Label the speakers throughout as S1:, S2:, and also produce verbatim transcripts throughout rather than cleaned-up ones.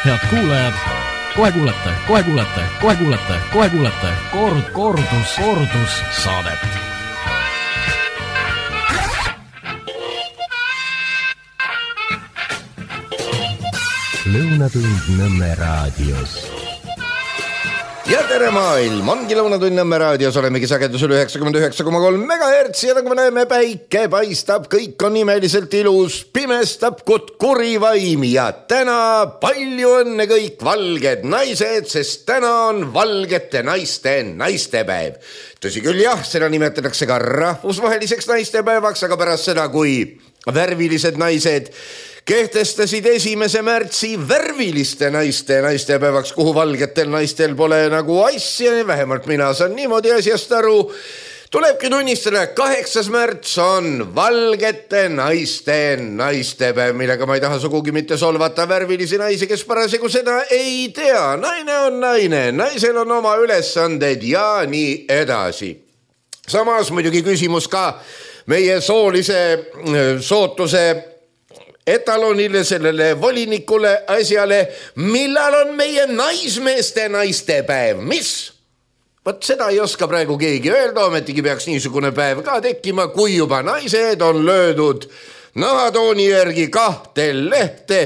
S1: Head kuulajad, kohe kuulete, kohe kuulete, kohe kuulete, kohe kuulete kord, kordus, kordus saadet.
S2: Lõunatund Nõmme raadios.
S3: Ja tere maailm, ongi Lõunatund Nõmme raadios, olemegi sagedusel üheksakümmend üheksa koma kolm megahertsi ja nagu me näeme, päike paistab, kõik on imeliselt ilus, pimestab kut kuri vaim ja täna palju õnne kõik valged naised, sest täna on valgete naiste naistepäev. Tõsi küll jah, seda nimetatakse ka rahvusvaheliseks naistepäevaks, aga pärast seda, kui värvilised naised kehtestasid esimese märtsi värviliste naiste naistepäevaks, kuhu valgetel naistel pole nagu asja, vähemalt mina saan niimoodi asjast aru. Tulebki tunnistada, kaheksas märts on valgete naiste naistepäev, millega ma ei taha sugugi mitte solvata värvilisi naisi, kes parasjagu seda ei tea. Naine on naine, naisel on oma ülesanded ja nii edasi. Samas muidugi küsimus ka meie soolise sootuse etalonile, sellele volinikule asjale, millal on meie naismeeste naistepäev, mis? Võt seda ei oska praegu keegi öelda, ometigi peaks niisugune päev ka tekkima, kui juba naised on löödud nahatooni järgi kahte lehte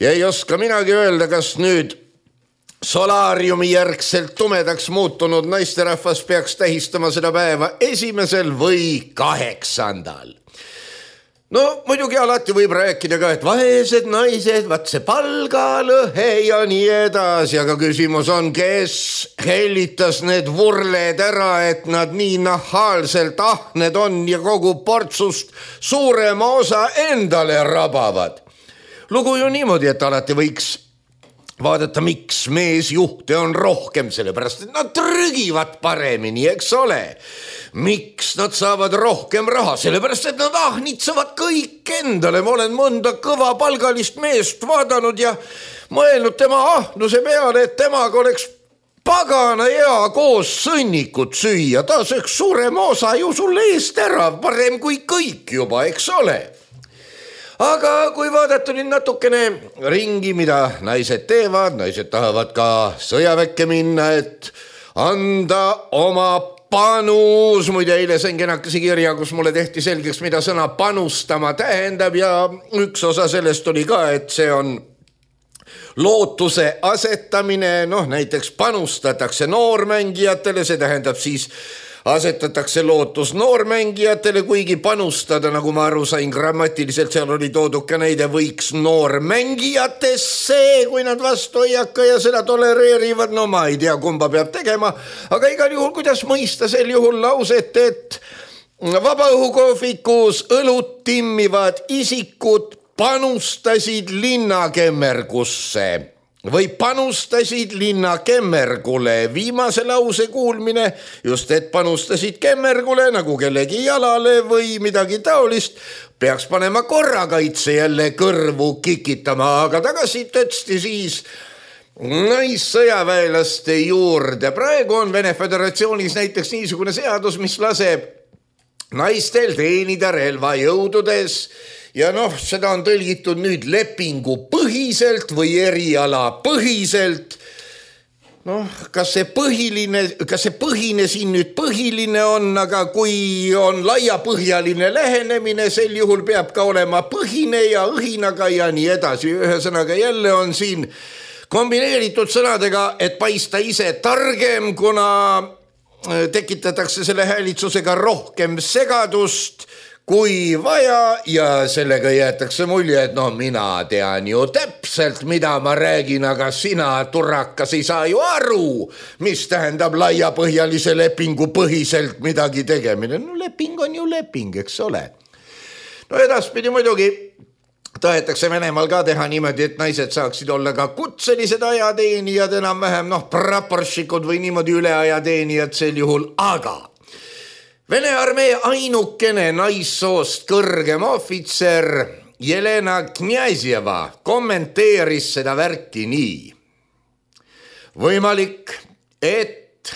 S3: ja ei oska minagi öelda, kas nüüd solaariumi järgselt tumedaks muutunud naisterahvas peaks tähistama seda päeva esimesel või kaheksandal. No muidugi alati võib rääkida ka, et vaesed naised, vaat see palgalõhe ja nii edasi, aga küsimus on, kes hellitas need vurled ära, et nad nii nahaalselt ahned on ja kogu portsust suurema osa endale rabavad. Lugu ju niimoodi, et alati võiks vaadata, miks meesjuhte on rohkem, sellepärast et nad trügivad paremini, eks ole. Miks nad saavad rohkem raha, sellepärast et nad ahnitsevad kõik endale. Ma olen mõnda kõva palgalist meest vaadanud ja mõelnud tema ahnuse peale, et temaga oleks pagana hea koos sõnnikut süüa. Ta sööks suurema osa ju sulle eest ära, parem kui kõik juba, eks ole. Aga kui vaadata nüüd natukene ringi, mida naised teevad, naised tahavad ka sõjaväkke minna, et anda oma panus. Muide, eile sain kenakese kirja, kus mulle tehti selgeks, mida sõna panustama tähendab ja üks osa sellest oli ka, et see on lootuse asetamine, noh näiteks panustatakse noormängijatele, see tähendab siis asetatakse lootus noormängijatele, kuigi panustada, nagu ma aru sain grammatiliselt, seal oli toodud ka näide, võiks noormängijatesse, kui nad vastu ei hakka ja seda tolereerivad, no ma ei tea, kumba peab tegema, aga igal juhul, kuidas mõista sel juhul lauset, et vabaõhukohvikus õlut timmivad isikud panustasid linnakemmergusse või panustasid linnakemmergule. Viimase lause kuulmine, just et panustasid kemmergule nagu kellegi jalale või midagi taolist, peaks panema korrakaitse jälle kõrvu kikitama, aga tagasi tõtsti siis naissõjaväelaste juurde. Praegu on Vene Föderatsioonis näiteks niisugune seadus, mis laseb naistel teenida relvajõududes. Ja noh, seda on tõlgitud nüüd lepingu põhiselt või eriala põhiselt. Noh, kas see põhiline, kas see põhine siin nüüd põhiline on, aga kui on laiapõhjaline lähenemine, sel juhul peab ka olema põhine ja õhinaga ja nii edasi. Ühesõnaga jälle on siin kombineeritud sõnadega, et paista ise targem, kuna tekitatakse selle häälitsusega rohkem segadust kui vaja ja sellega jäetakse mulje, et no mina tean ju täpselt, mida ma räägin, aga sina, turakas, ei saa ju aru, mis tähendab laiapõhjalise lepingu põhiselt midagi tegemine. No leping on ju leping, eks ole. No edaspidi muidugi tahetakse Venemaal ka teha niimoodi, et naised saaksid olla ka kutselised ajateenijad, enam vähem, noh, praporšikud või niimoodi üleajateenijad sel juhul, aga Vene armee ainukene naissoost kõrgem ohvitser Jelena Kniazjeva kommenteeris seda värki nii. Võimalik, et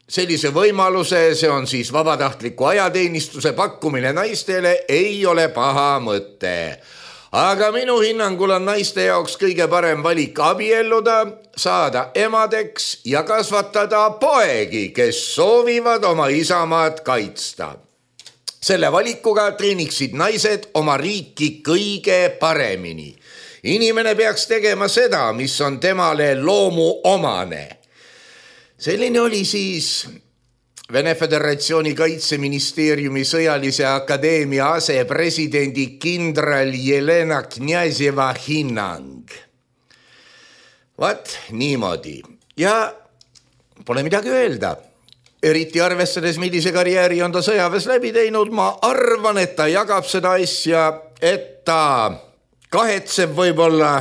S3: sellise võimaluse, see on siis vabatahtliku ajateenistuse pakkumine naistele, ei ole paha mõte. aga minu hinnangul on naiste jaoks kõige parem valik abielluda, saada emadeks ja kasvatada poegi, kes soovivad oma isamaad kaitsta. Selle valikuga treeniksid naised oma riiki kõige paremini. Inimene peaks tegema seda, mis on temale loomu omane. Selline oli siis Vene Föderatsiooni kaitseministeeriumi sõjalise akadeemia asepresidendi kindral Jelena Kňazeva hinnang. Vaat niimoodi. Ja pole midagi öelda. Eriti arvestades, millise karjääri on ta sõjaväes läbi teinud, ma arvan, et ta jagab seda asja, et ta kahetseb võib-olla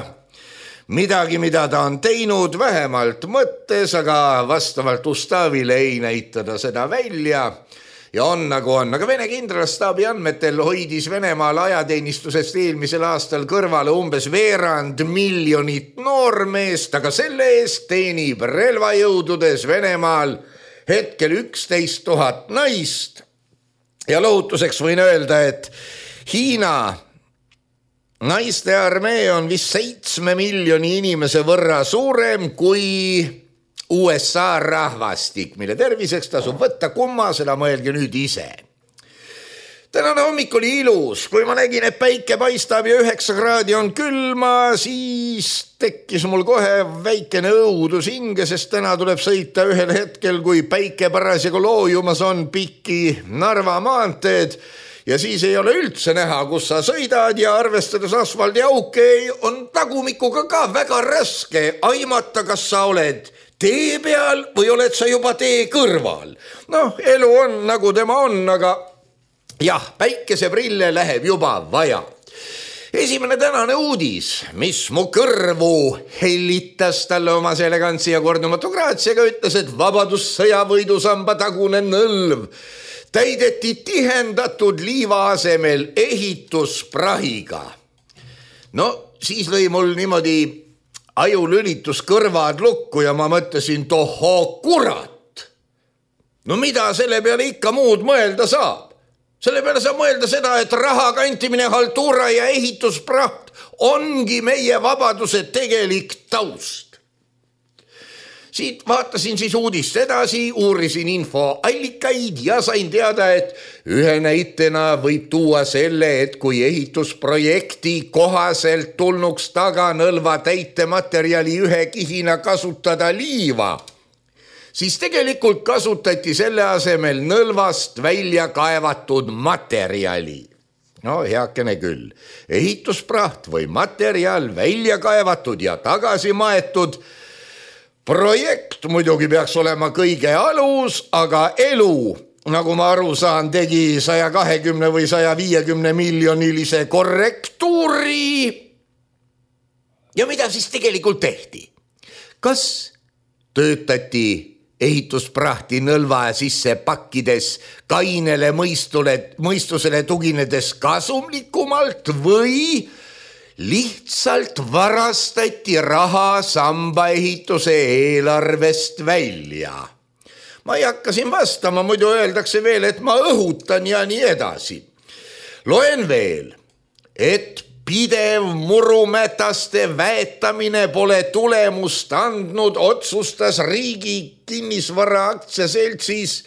S3: midagi, mida ta on teinud, vähemalt mõttes, aga vastavalt Ustavile ei näitada seda välja ja on nagu on. Aga Vene kindralstaabi andmetel hoidis Venemaal ajateenistusest eelmisel aastal kõrvale umbes veerand miljonit noormeest, aga selle eest teenib relvajõududes Venemaal hetkel üksteist tuhat naist ja lohutuseks võin öelda, et Hiina naiste armee on vist seitsme miljoni inimese võrra suurem kui U S A rahvastik, mille terviseks tasub võtta kumma, seda mõelge nüüd ise. Tänane hommik oli ilus, kui ma nägin, et päike paistab ja üheksa kraadi on külma, siis tekkis mul kohe väikene õudus hinge, sest täna tuleb sõita ühel hetkel, kui päike parasjagu loojumas on pikki Narva maanteed ja siis ei ole üldse näha, kus sa sõidad ja arvestades asfaldiauke on tagumikuga ka väga raske aimata, kas sa oled tee peal või oled sa juba tee kõrval. Noh, elu on nagu tema on, aga jah, päikeseprille läheb juba vaja. Esimene tänane uudis, mis mu kõrvu hellitas talle oma elegantsi ja kordumatu graatsiaga, ütles, et vabadussõjavõidusamba tagune nõlv täideti tihendatud liiva asemel ehitusprahiga. No, siis lõi mul niimoodi ajulülitus kõrvad lukku ja ma mõtlesin, tohoo kurat. No mida selle peale ikka muud mõelda saab? Selle peale saab mõelda seda, et raha kantimine, haltuura ja ehituspraht ongi meie vabaduse tegelik taust. Siit vaatasin siis uudist edasi, uurisin infoallikaid ja sain teada, et ühe näitena võib tuua selle, et kui ehitusprojekti kohaselt tulnuks taganõlva täitematerjali ühe kihina kasutada liiva, siis tegelikult kasutati selle asemel nõlvast välja kaevatud materjali. No heakene küll, ehituspraht või materjal välja kaevatud ja tagasi maetud. Projekt muidugi peaks olema kõige alus, aga elu, nagu ma aru saan, tegi saja kahekümne või saja viiekümne miljonilise korrektuuri. Ja mida siis tegelikult tehti? Kas töötati ehitusprahti nõlva sisse pakkides kainele mõistule, mõistusele tuginedes kasumlikumalt või lihtsalt varastati raha sambaehituse eelarvest välja? Ma ei hakka siin vastama, muidu öeldakse veel, et ma õhutan ja nii edasi. Loen veel, et pidev murumätaste väetamine pole tulemust andnud, otsustas riigi kinnisvara aktsiaseltsis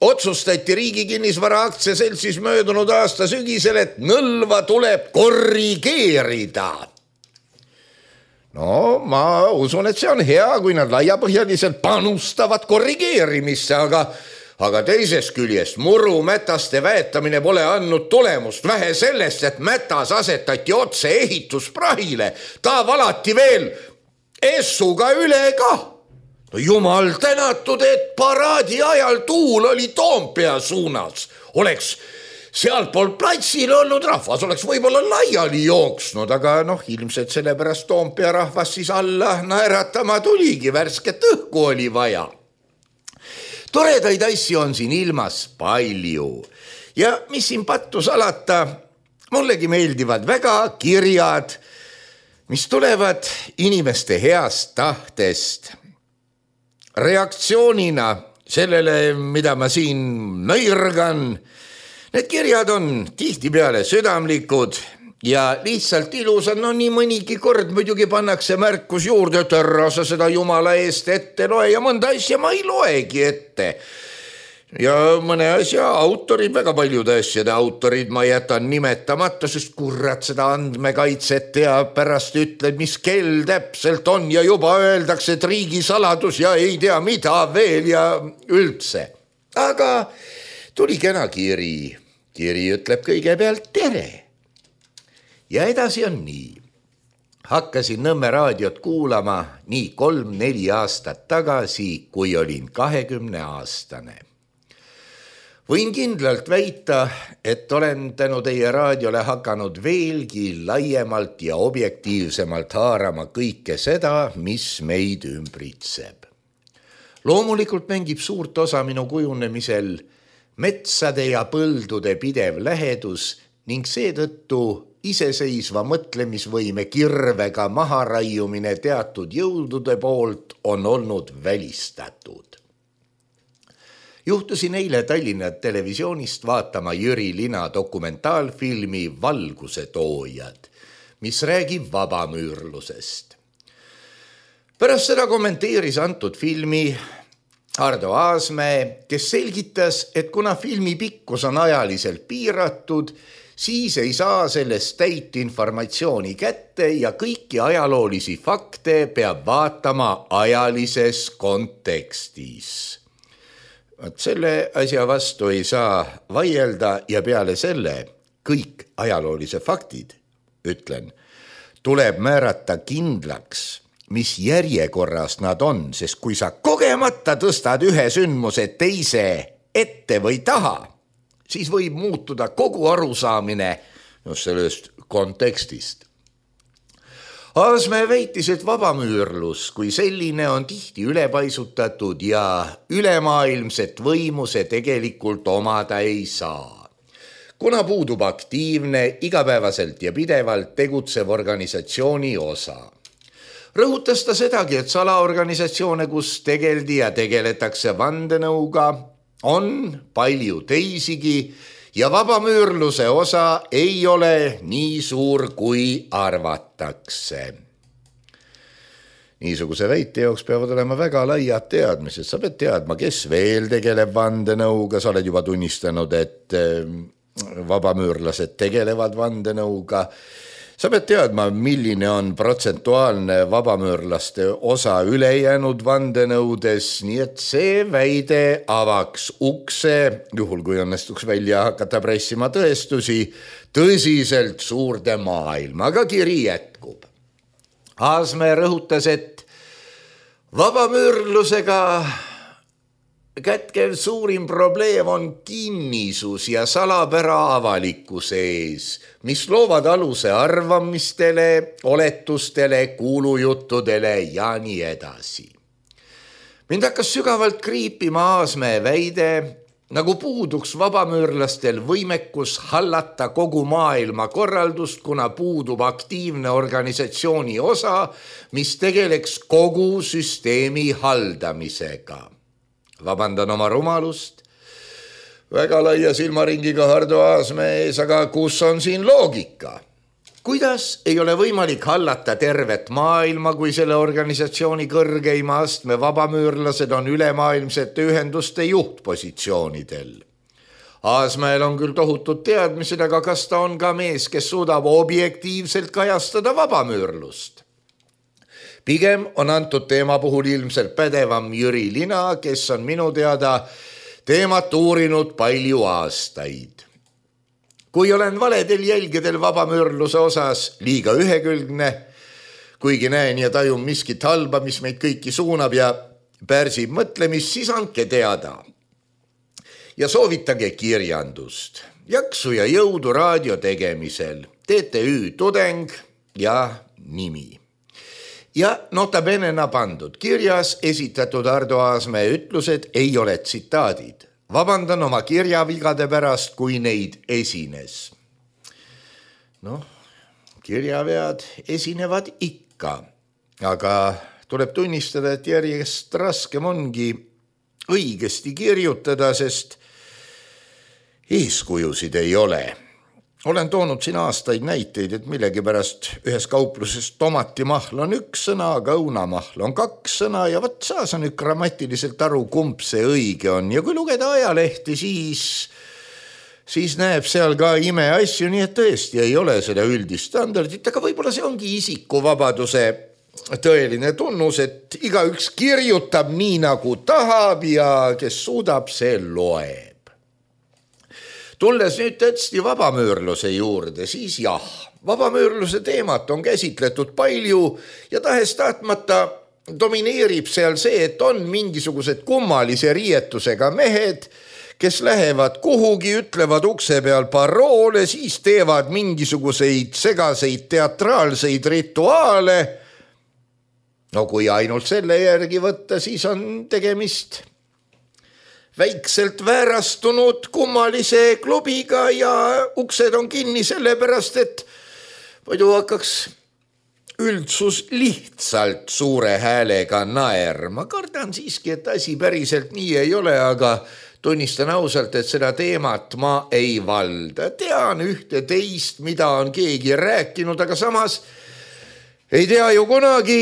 S3: Otsustati riigi kinnisvara aktsiaseltsis möödunud aasta sügisel, et nõlva tuleb korrigeerida. No ma usun, et see on hea, kui nad laiapõhjaliselt panustavad korrigeerimisse, aga, aga teisest küljest murumätaste väetamine pole andnud tulemust. Vähe sellest, et mätas asetati otse ehitusprahile, ta valati veel essuga üle ka. No jumal tänatud, et paraadi ajal tuul oli Toompea suunas. Oleks sealpool platsil olnud rahvas, oleks võib-olla laiali jooksnud, aga noh, ilmselt sellepärast Toompea rahvas siis alla naeratama tuligi, värsket õhku oli vaja. Toredaid asju on siin ilmas palju ja mis siin pattu salata, mullegi meeldivad väga kirjad, mis tulevad inimeste heast tahtest. Reaktsioonina sellele, mida ma siin nõirgan, need kirjad on tihtipeale südamlikud ja lihtsalt ilus on, no nii mõnigi kord muidugi pannakse märkus juurde, et ära sa seda jumala eest ette loe ja mõnda asja ma ei loegi ette. Ja mõne asja autorid, väga paljude asjade autorid ma jätan nimetamata, sest kurat seda andmekaitset ja pärast ütled, mis kell täpselt on ja juba öeldakse, et riigisaladus ja ei tea mida veel ja üldse. Aga tuli kena kiri. Kiri ütleb kõigepealt tere. Ja edasi on nii. Hakkasin Nõmme raadiot kuulama nii kolm-neli aastat tagasi, kui olin kahekümne aastane. Võin kindlalt väita, et olen tänu teie raadiole hakanud veelgi laiemalt ja objektiivsemalt haarama kõike seda, mis meid ümbritseb. Loomulikult mängib suurt osa minu kujunemisel metsade ja põldude pidev lähedus ning seetõttu iseseisva mõtlemisvõime kirvega maharaiumine teatud jõudude poolt on olnud välistatud. Juhtusin eile Tallinna televisioonist vaatama Jüri Lina dokumentaalfilmi Valguse toojad, mis räägib vabamüürlusest. Pärast seda kommenteeris antud filmi Hardo Aasmäe, kes selgitas, et kuna filmi pikkus on ajaliselt piiratud, siis ei saa sellest täit informatsiooni kätte ja kõiki ajaloolisi fakte peab vaatama ajalises kontekstis. Selle asja vastu ei saa vaielda ja peale selle kõik ajaloolise faktid, ütlen, tuleb määrata kindlaks, mis järjekorras nad on, sest kui sa kogemata tõstad ühe sündmuse teise ette või taha, siis võib muutuda kogu arusaamine just sellest kontekstist. Aasmäe väitis, et vabamüürlus kui selline on tihti ülepaisutatud ja ülemaailmset võimu see tegelikult omada ei saa. Kuna puudub aktiivne, igapäevaselt ja pidevalt tegutsev organisatsiooni osa. Rõhutas ta sedagi, et salaorganisatsioone, kus tegeldi ja tegeletakse vandenõuga, on palju teisigi ja vabamüürluse osa ei ole nii suur, kui arvatakse. Niisuguse väite jooks peavad olema väga laiad teadmised. Sa pead teadma, kes veel tegeleb vandenõuga. Sa oled juba tunnistanud, et vabamüürlased tegelevad vandenõuga. Sa pead teadma, milline on protsentuaalne vabamüürlaste osa ülejäänud vandenõudes, nii et see väide avaks ukse, juhul kui õnnestuks välja hakata pressima tõestusi, tõsiselt suurde maailma, aga kiri jätkub. Aasmäe rõhutas, et vabamüürlusega kätkev suurim probleem on kinnisus ja salapära avalikkuse ees, mis loovad aluse arvamistele, oletustele, kuulujuttudele ja nii edasi. Mind hakkas sügavalt kriipima Aasmäe väide, nagu puuduks vabamüürlastel võimekus hallata kogu maailma korraldust, kuna puudub aktiivne organisatsiooni osa, mis tegeleks kogu süsteemi haldamisega. Vabandan oma rumalust, väga laia silmaringiga Hardo Aasmäe ees, aga kus on siin loogika? Kuidas ei ole võimalik hallata tervet maailma, kui selle organisatsiooni kõrgeima astme vabamüürlased on ülemaailmsete ühenduste juhtpositsioonidel? Aasmäel on küll tohutud teadmised, aga kas ta on ka mees, kes suudab objektiivselt kajastada vabamüürlust? Pigem on antud teema puhul ilmselt pädevam Jüri Lina, kes on minu teada teemat uurinud palju aastaid. Kui olen valedel jälgedel vabamüürluse osas liiga ühekülgne, kuigi näen ja tajun miskit halba, mis meid kõiki suunab ja pärsib mõtlemist, siis andke teada. Ja soovitage kirjandust, jaksu ja jõudu raadio tegemisel, T T Ü Tudeng ja nimi. Ja notabenena pandud kirjas esitatud Hardo Aasmäe ütlused ei ole tsitaadid. Vabandan oma kirjavigade pärast, kui neid esines. Noh, kirjavead esinevad ikka, aga tuleb tunnistada, et järjest raskem ongi õigesti kirjutada, sest eeskujusid ei ole. olen toonud siin aastaid näiteid, et millegi pärast ühes kaupluses tomatimahl on üks sõna, aga õunamahl on kaks sõna ja võt saa sa nüüd grammatiliselt aru, kumb see õige on. Ja kui lugeda ajalehti, siis, siis näeb seal ka imeasju, nii et tõesti ei ole seda üldist standardit, aga võib-olla see ongi isikuvabaduse tõeline tunnus, et igaüks kirjutab nii nagu tahab ja kes suudab, see loeb. Tulles nüüd tõesti vabamöörluse juurde, siis jah, vabamöörluse teemat on käsitletud palju ja tahes tahtmata domineerib seal see, et on mingisugused kummalise riietusega mehed, kes lähevad kuhugi, ütlevad ukse peal paroole, siis teevad mingisuguseid segaseid teatraalseid rituaale. No kui ainult selle järgi võtta, siis on tegemist väikselt väärastunud kummalise klubiga ja uksed on kinni sellepärast, et muidu hakkaks üldsus lihtsalt suure häälega naerma. Kardan siiski, et asi päriselt nii ei ole, aga tunnistan ausalt, et seda teemat ma ei valda. Tean ühte teist, mida on keegi rääkinud, aga samas ei tea ju kunagi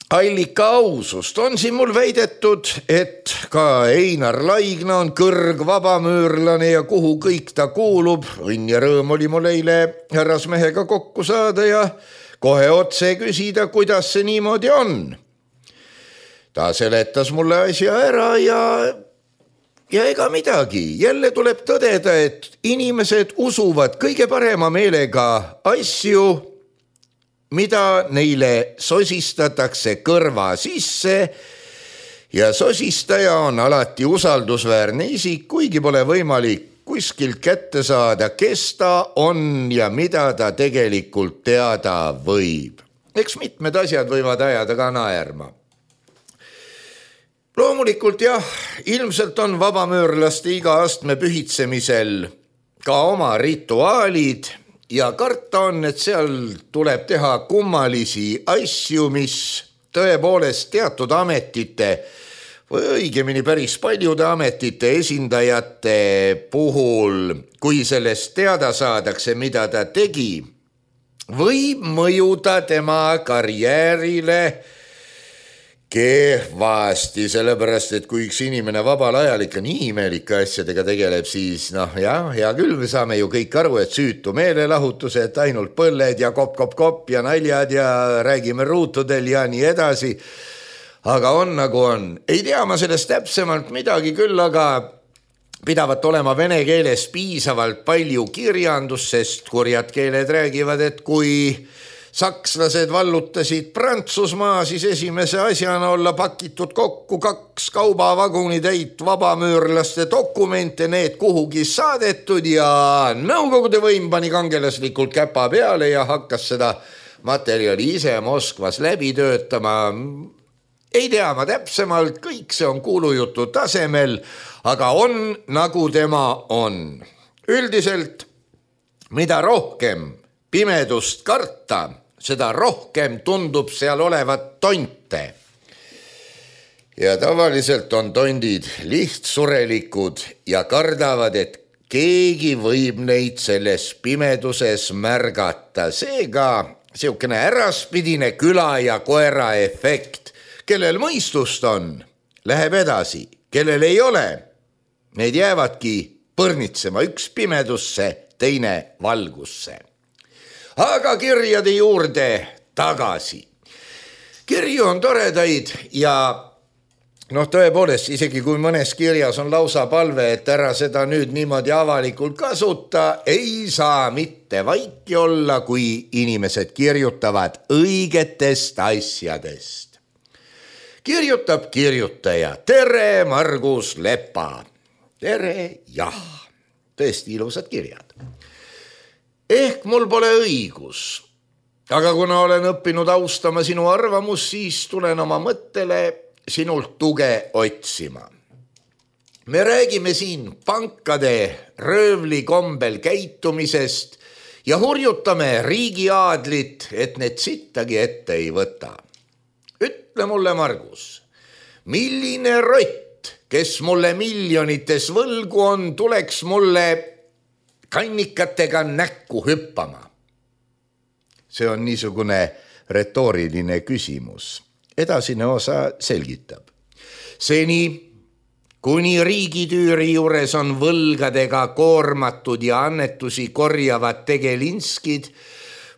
S3: allika ausust. On siin mul väidetud, et ka Einar Laigna on kõrg vabamöörlane ja kuhu kõik ta kuulub. Õnn ja rõõm oli mul eile härrasmehega kokku saada ja kohe otse küsida, kuidas see niimoodi on. Ta seletas mulle asja ära ja, ja ega midagi. Jälle tuleb tõdeda, et inimesed usuvad kõige parema meelega asju, mida neile sosistatakse kõrva sisse ja sosistaja on alati usaldusväärne isik, kuigi pole võimalik kuskilt kätte saada, kes ta on ja mida ta tegelikult teada võib. Eks mitmed asjad võivad ajada ka naerma. Loomulikult jah, ilmselt on vabamöörlaste iga astme pühitsemisel ka oma rituaalid, ja karta on, et seal tuleb teha kummalisi asju, mis tõepoolest teatud ametite või õigemini päris paljude ametite esindajate puhul, kui sellest teada saadakse, mida ta tegi, võib mõjuda tema karjäärile kehvasti, sellepärast, et kui üks inimene vabal ajal ikka nii imelike asjadega tegeleb, siis noh, jah, hea küll, me saame ju kõik aru, et süütu meelelahutus, et ainult põlled ja kopp-kopp-kopp ja naljad ja räägime ruutudel ja nii edasi. Aga on nagu on. Ei tea ma sellest täpsemalt midagi küll, aga pidavat olema vene keeles piisavalt palju kirjandus, sest kurjad keeled räägivad, et kui sakslased vallutasid Prantsusmaa, siis esimese asjana olla pakitud kokku kaks kaubavagunitäit vabamöörlaste dokumente, need kuhugi saadetud ja Nõukogude võim pani kangelaslikult käpa peale ja hakkas seda materjali ise Moskvas läbi töötama. Ei tea ma täpsemalt, kõik see on kuulujutu tasemel, aga on nagu tema on. Üldiselt, mida rohkem pimedust karta, seda rohkem tundub seal olevat tonte. Ja tavaliselt on tondid lihtsurelikud ja kardavad, et keegi võib neid selles pimeduses märgata. Seega siukene äraspidine küla ja koera efekt. Kellel mõistust on, läheb edasi. Kellel ei ole, need jäävadki põrnitsema üks pimedusse, teine valgusse. Aga kirjade juurde tagasi. Kirju on toredaid ja noh, tõepoolest, isegi kui mõnes kirjas on lausa palve, et ära seda nüüd niimoodi avalikult kasuta, ei saa mitte vaiki olla, kui inimesed kirjutavad õigetest asjadest. Kirjutab kirjutaja, tere Margus Lepa. Tere, jah, tõesti ilusad kirjad. Ehk mul pole õigus, aga kuna olen õppinud austama sinu arvamus, siis tulen oma mõttele sinult tuge otsima. Me räägime siin pankade röövli kombel käitumisest ja hurjutame riigiaadlit, et need sittagi ette ei võta. Ütle mulle, Margus, milline rott, kes mulle miljonites võlgu on, tuleks mulle kannikatega näkku hüppama? See on niisugune retooriline küsimus. Edasine osa selgitab. Seni, kuni riigitüüri juures on võlgadega koormatud ja annetusi korjavad tegelinskid,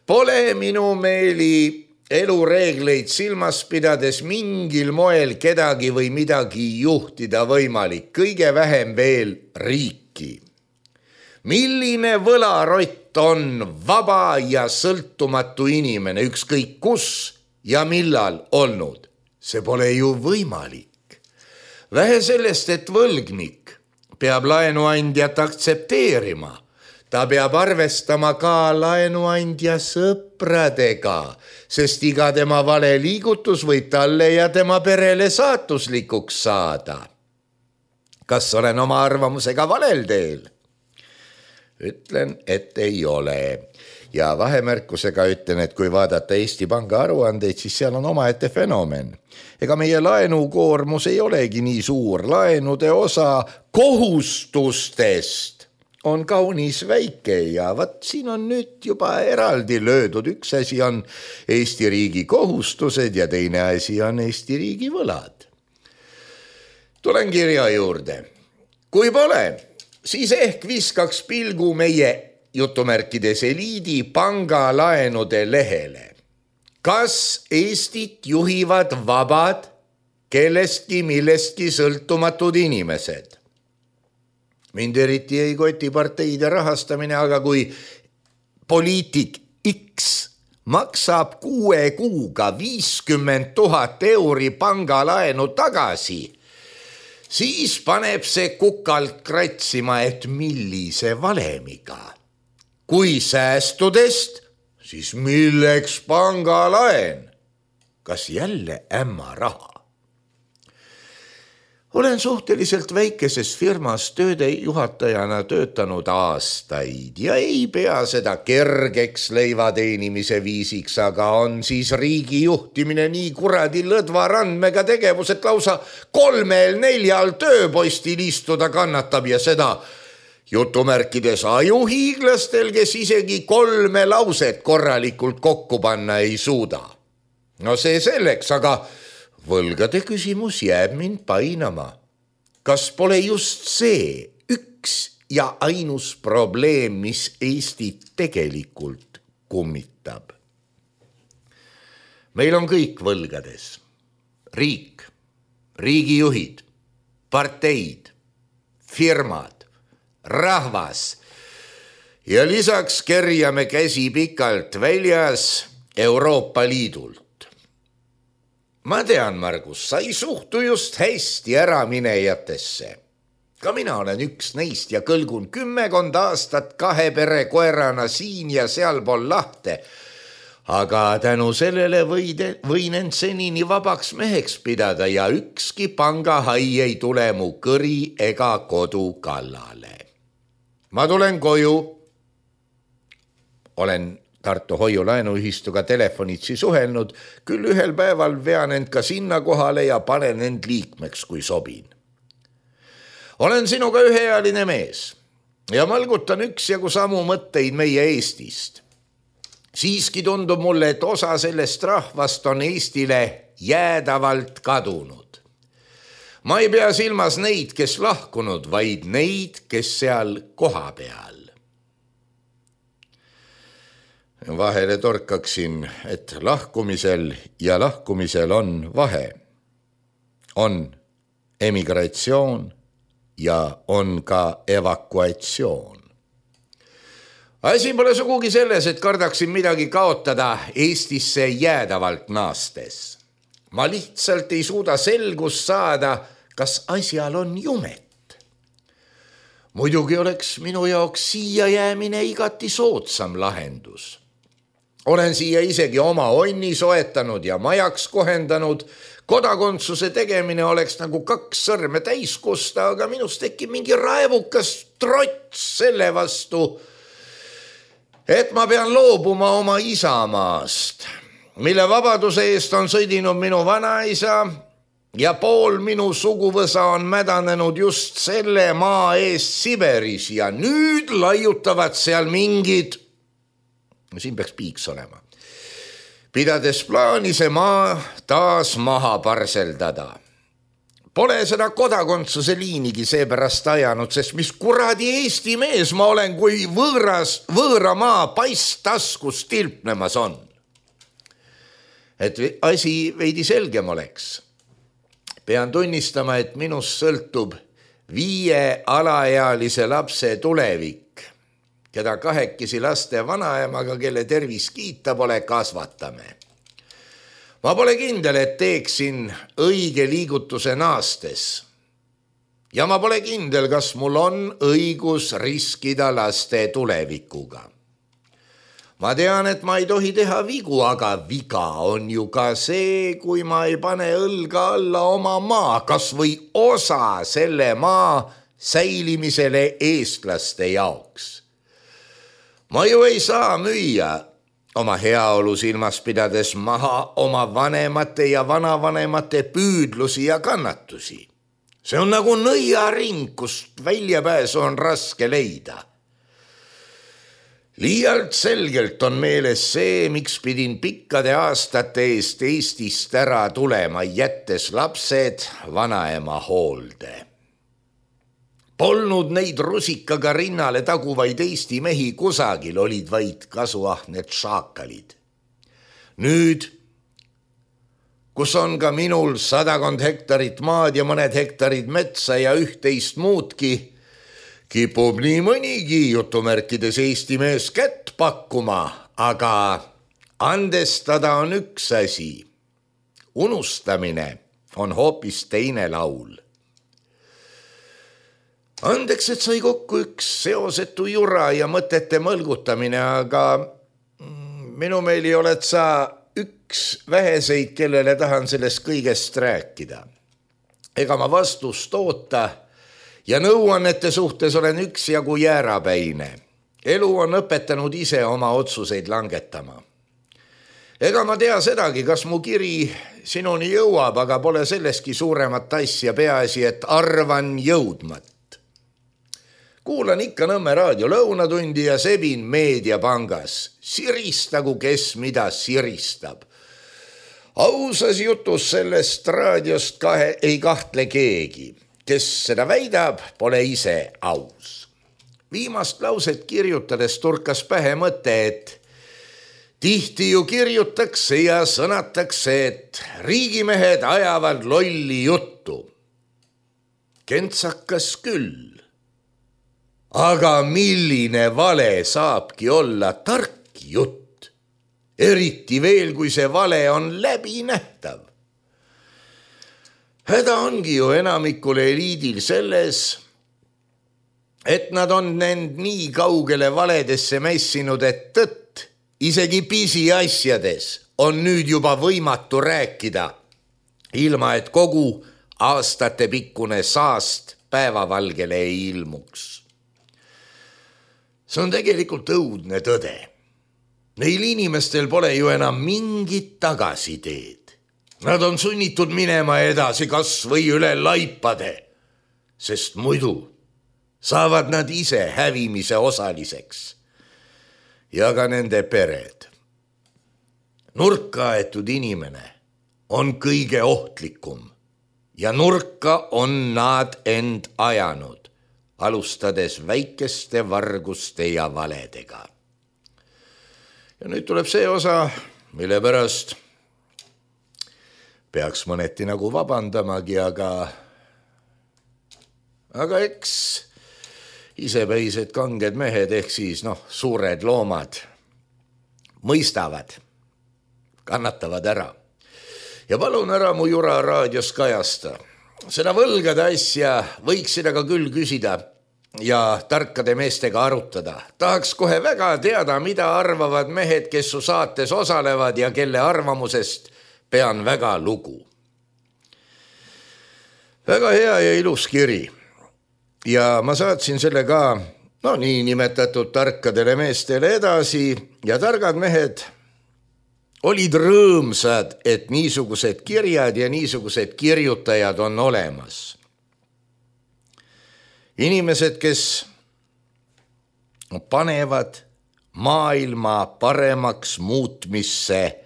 S3: pole minu meeli elureegleid silmas pidades mingil moel kedagi või midagi juhtida võimalik, kõige vähem veel riiki. Milline võlarott on vaba ja sõltumatu inimene, ükskõik kus ja millal olnud? See pole ju võimalik. Vähe sellest, et võlgnik peab laenuandjat aktsepteerima. Ta peab arvestama ka laenuandja sõpradega, sest iga tema vale liigutus võib talle ja tema perele saatuslikuks saada. Kas olen oma arvamusega valel teel? Ütlen, et ei ole. Ja vahemärkusega ütlen, et kui vaadata Eesti Panga aruandeid, siis seal on omaette fenomen. Ega meie laenukoormus ei olegi nii suur. Laenude osa kohustustest on kaunis väike ja vat siin on nüüd juba eraldi löödud. Üks asi on Eesti riigi kohustused ja teine asi on Eesti riigi võlad. Tulen kirja juurde. Kui pole, siis ehk viskaks pilgu meie jutumärkides eliidi pangalaenude lehele. Kas Eestit juhivad vabad, kellestki millestki sõltumatud inimesed? Mind eriti ei koti parteide rahastamine, aga kui poliitik X maksab kuue kuuga viiskümmend tuhat euri pangalaenu tagasi, siis paneb see kukalt kratsima, et millise valemiga. Kui säästudest, siis milleks pangalaen? Kas jälle ämma raha? Olen suhteliselt väikeses firmas tööde juhatajana töötanud aastaid ja ei pea seda kergeks leivateenimise viisiks, aga on siis riigi juhtimine nii kuradi lõdva randmega tegevus, et lausa kolmel neljal tööpostil istuda kannatab ja seda jutumärkides ajuhiiglastel, kes isegi kolme lauset korralikult kokku panna ei suuda. No see selleks, aga võlgade küsimus jääb mind painama. Kas pole just see üks ja ainus probleem, mis Eestit tegelikult kummitab? Meil on kõik võlgades. Riik, riigijuhid, parteid, firmad, rahvas ja lisaks kerjame käsi pikalt väljas Euroopa Liidult. Ma tean, Margus, sa ei suhtu just hästi äraminejatesse. Ka mina olen üks neist ja kõlgun kümmekond aastat kahe pere koerana siin ja sealpool lahte. Aga tänu sellele võide, võin end senini vabaks meheks pidada ja ükski pangahai ei tule mu kõri ega kodu kallale. Ma tulen koju. Olen Tartu hoiulaenuühistuga telefonitsi suhelnud, küll ühel päeval vean end ka sinna kohale ja panen end liikmeks, kui sobin. Olen sinuga ühealine mees ja malgutan üksjagu samu mõtteid meie Eestist. Siiski tundub mulle, et osa sellest rahvast on Eestile jäädavalt kadunud. Ma ei pea silmas neid, kes lahkunud, vaid neid, kes seal koha peal. Vahele torkaksin, et lahkumisel ja lahkumisel on vahe. On emigratsioon ja on ka evakuatsioon. Asi pole sugugi selles, et kardaksin midagi kaotada Eestisse jäädavalt naastes. Ma lihtsalt ei suuda selgust saada, kas asjal on jumet. Muidugi oleks minu jaoks siia jäämine igati soodsam lahendus. Olen siia isegi oma onni soetanud ja majaks kohendanud. Kodakondsuse tegemine oleks nagu kaks sõrme täis kusta, aga minust tekib mingi raevukas trots selle vastu, et ma pean loobuma oma isamaast, mille vabaduse eest on sõdinud minu vanaisa ja pool minu suguvõsa on mädanenud just selle maa eest Siberis ja nüüd laiutavad seal mingid, siin peaks piiks olema, pidades plaani see maa taas maha parseldada. Pole seda kodakondsuse liinigi seepärast ajanud, sest mis kuradi Eesti mees ma olen, kui võõras, võõra maa paisttaskus tilpnemas on. Et asi veidi selgem oleks. Pean tunnistama, et minust sõltub viie alaealise lapse tulevik, keda kahekesi laste vanaemaga, kelle tervis kiita pole, kasvatame. Ma pole kindel, et teeksin õige liigutuse naastes. Ja ma pole kindel, kas mul on õigus riskida laste tulevikuga. Ma tean, et ma ei tohi teha vigu, aga viga on ju ka see, kui ma ei pane õlga alla oma maa, kas või osa selle maa säilimisele eestlaste jaoks. Ma ju ei saa müüa oma heaolu silmas pidades maha oma vanemate ja vanavanemate püüdlusi ja kannatusi. See on nagu nõiaring, kust väljapääsu on raske leida. Liialt selgelt on meeles see, miks pidin pikkade aastate eest Eestist ära tulema, jättes lapsed vanaema hoolde. Polnud neid rusikaga rinnale taguvaid Eesti mehi kusagil, olid vaid kasuahned šaakalid. Nüüd, kus on ka minul sadakond hektarit maad ja mõned hektarid metsa ja üht-teist muudki, kipub nii mõnigi jutumärkides Eesti mees kätt pakkuma, aga andestada on üks asi. Unustamine on hoopis teine laul. Andeks, et sai kokku üks seosetu jura ja mõtete mõlgutamine, aga minu meeli oled sa üks väheseid, kellele tahan sellest kõigest rääkida. Ega ma vastust oota ja nõuannete suhtes olen üksjagu jäärapäine. Elu on õpetanud ise oma otsuseid langetama. Ega ma tea sedagi, kas mu kiri sinuni jõuab, aga pole selleski suuremat asja, peaasi, et arvan jõudmat. Kuulan ikka Nõmme raadio lõunatundi ja sebin meediapangas. Siristagu, kes mida siristab. Ausas jutus sellest raadiost kahe ei kahtle keegi. Kes seda väidab, pole ise aus. Viimast lauset kirjutades turkas pähe mõte, et tihti ju kirjutakse ja sõnatakse, et riigimehed ajavad lolli juttu. Kentsakas küll. Aga milline vale saabki olla tark jutt, eriti veel, kui see vale on läbinähtav. Häda ongi ju enamikul eliidil selles, et nad on end nii kaugele valedesse mässinud, et tõtt, isegi pisiasjades on nüüd juba võimatu rääkida, ilma et kogu aastate pikkune saast päevavalgele ei ilmuks. See on tegelikult õudne tõde. Neil inimestel pole ju enam mingit tagasiteed. Nad on sunnitud minema edasi kas või üle laipade, sest muidu saavad nad ise hävimise osaliseks ja ka nende pered. Nurka aetud inimene on kõige ohtlikum ja nurka on nad end ajanud, alustades väikeste varguste ja valedega. Ja nüüd tuleb see osa, mille pärast peaks mõneti nagu vabandamagi, aga aga eks isepäised kanged mehed ehk siis noh, suured loomad mõistavad, kannatavad ära. Ja palun ära mu jura raadios kajasta. Seda võlgade asja võiksid aga küll küsida ja tarkade meestega arutada. Tahaks kohe väga teada, mida arvavad mehed, kes su saates osalevad ja kelle arvamusest pean väga lugu. Väga hea ja ilus kiri. Ja ma saatsin selle ka no, nii nimetatud tarkadele meestele edasi ja targad mehed olid rõõmsad, et niisugused kirjad ja niisugused kirjutajad on olemas. Inimesed, kes panevad maailma paremaks muutmisse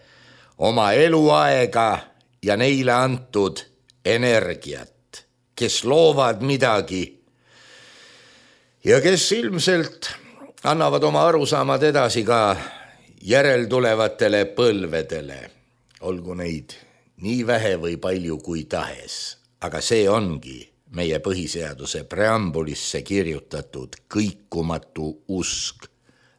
S3: oma eluaega ja neile antud energiat, kes loovad midagi ja kes ilmselt annavad oma arusaamad edasi ka järeltulevatele põlvedele, olgu neid nii vähe või palju kui tahes, aga see ongi meie põhiseaduse preambulisse kirjutatud kõikumatu usk.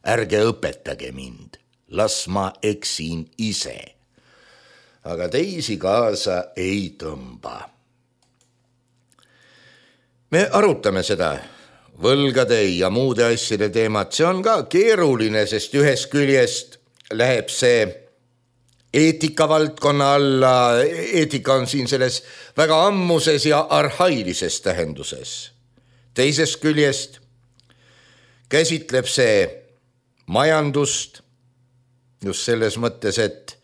S3: Ärge õpetage mind, las ma eksin ise, aga teisi kaasa ei tõmba. Me arutame seda võlgade ja muude asjade teemat, see on ka keeruline, sest ühest küljest läheb see eetikavaldkonna alla, eetika on siin selles väga ammuses ja arhailises tähenduses. Teisest küljest käsitleb see majandust just selles mõttes, et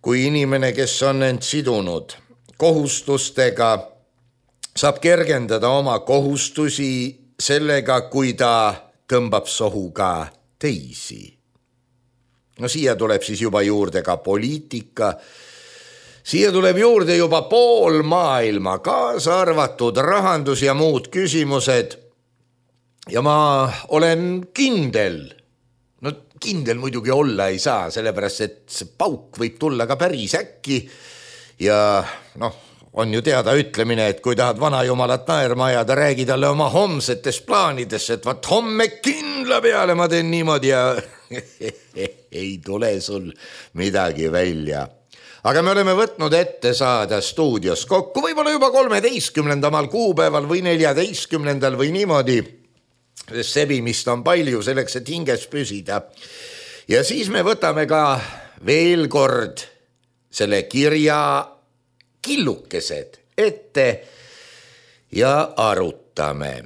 S3: kui inimene, kes on end sidunud kohustustega, saab kergendada oma kohustusi sellega, kui ta tõmbab sohu ka teisi. No siia tuleb siis juba juurde ka poliitika, siia tuleb juurde juba pool maailma, kaasa arvatud rahandus ja muud küsimused. Ja ma olen kindel, no kindel muidugi olla ei saa, sellepärast et see pauk võib tulla ka päris äkki ja noh, on ju teada ütlemine, et kui tahad vana jumalat naerma ajada, räägi talle oma homsetest plaanidest, et vaat homme kindla peale ma teen niimoodi ja ei tule sul midagi välja. Aga me oleme võtnud ette saada stuudios kokku, võib-olla juba kolmeteistkümnendamal kuupäeval või neljateistkümnendal või niimoodi, sest sebimist on palju selleks, et hinges püsida. Ja siis me võtame ka veel kord selle kirja killukesed ette ja arutame.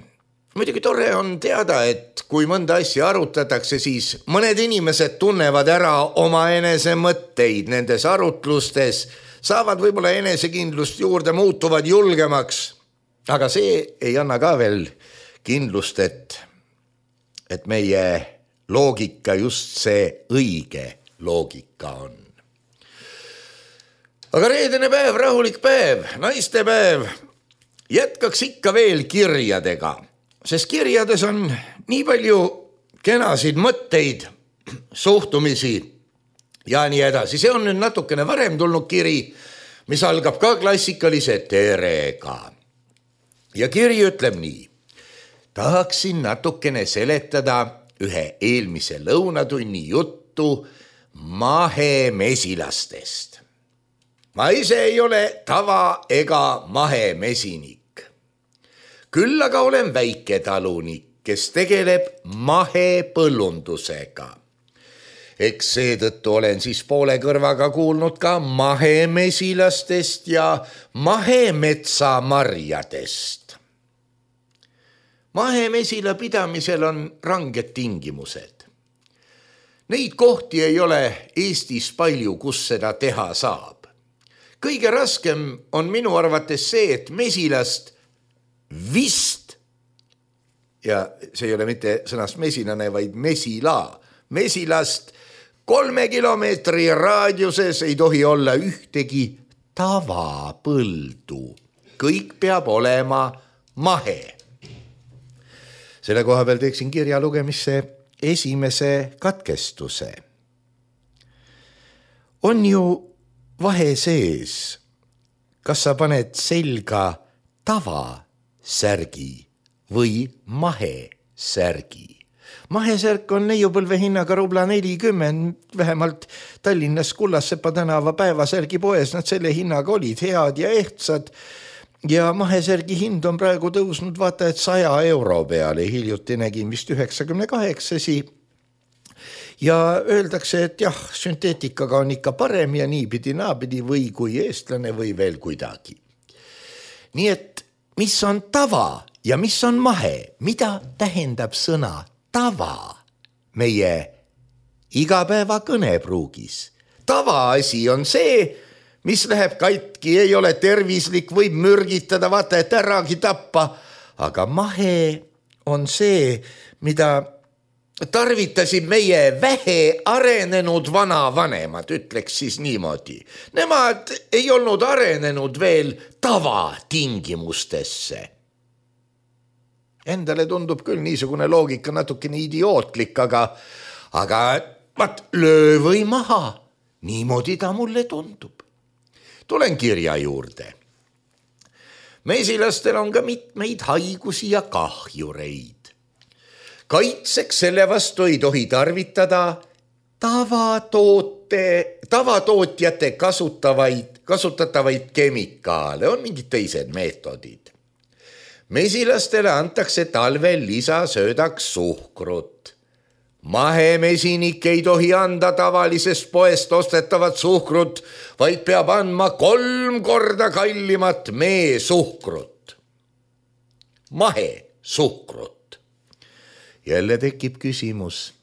S3: Muidugi tore on teada, et kui mõnda asja arutatakse, siis mõned inimesed tunnevad ära oma enese mõtteid nendes arutlustes, saavad võib-olla enesekindlust juurde, muutuvad julgemaks, aga see ei anna ka veel kindlust, et, et meie loogika just see õige loogika on. Aga reedene päev, rahulik päev, naistepäev, jätkaks ikka veel kirjadega, sest kirjades on nii palju kenasid mõtteid, suhtumisi ja nii edasi. See on nüüd natukene varem tulnud kiri, mis algab ka klassikalise terega. Ja kiri ütleb nii. Tahaksin natukene seletada ühe eelmise lõunatunni juttu mahemesilastest. Ma ise ei ole tava ega mahemesinik. Küll aga olen väiketalunik, kes tegeleb mahepõllundusega. Eks seetõttu olen siis poole kõrvaga kuulnud ka mahemesilastest ja mahemetsamarjadest. Mahemesila pidamisel on ranged tingimused. Neid kohti ei ole Eestis palju, kus seda teha saab. Kõige raskem on minu arvates see, et mesilast vist, ja see ei ole mitte sõnast mesilane, vaid mesila, mesilast kolme kilomeetri raadiuses ei tohi olla ühtegi tavapõldu. Kõik peab olema mahe. Selle koha peal teeksin kirja lugemisse esimese katkestuse. On ju vahe sees, kas sa paned selga tavasärgi või mahesärgi. Mahesärk on neiupõlve hinnaga rubla nelikümmend, vähemalt Tallinnas Kullassepa tänava päevasärgi poes, nad selle hinnaga olid head ja ehtsad ja mahesärgi hind on praegu tõusnud vaata, et saja euro peale, hiljuti nägin vist üheksakümne kaheksasi. Ja öeldakse, et jah, sünteetikaga on ikka parem ja niipidi naapidi või kui eestlane või veel kuidagi. Nii et mis on tava ja mis on mahe, mida tähendab sõna tava meie igapäeva kõnepruugis? Tavaasi on see, mis läheb katki, ei ole tervislik, võib mürgitada, vaata, et äragi tappa. Aga mahe on see, mida tarvitasid meie vähe arenenud vanavanemad, ütleks siis niimoodi. Nemad ei olnud arenenud veel tavatingimustesse. Endale tundub küll niisugune loogika natukene idiootlik, aga, aga vaat löö või maha, niimoodi ta mulle tundub. Tulen kirja juurde. Mesilastel on ka mitmeid haigusi ja kahjureid. Kaitseks selle vastu ei tohi tarvitada tavatoote, tavatootjate kasutavaid, kasutatavaid kemikaale, on mingid teised meetodid. Mesilastele antakse talvel lisasöödaks suhkrut. Mahemesinik ei tohi anda tavalisest poest ostetavat suhkrut, vaid peab andma kolm korda kallimat mee suhkrut. Mahe suhkrut. Jälle tekib küsimus.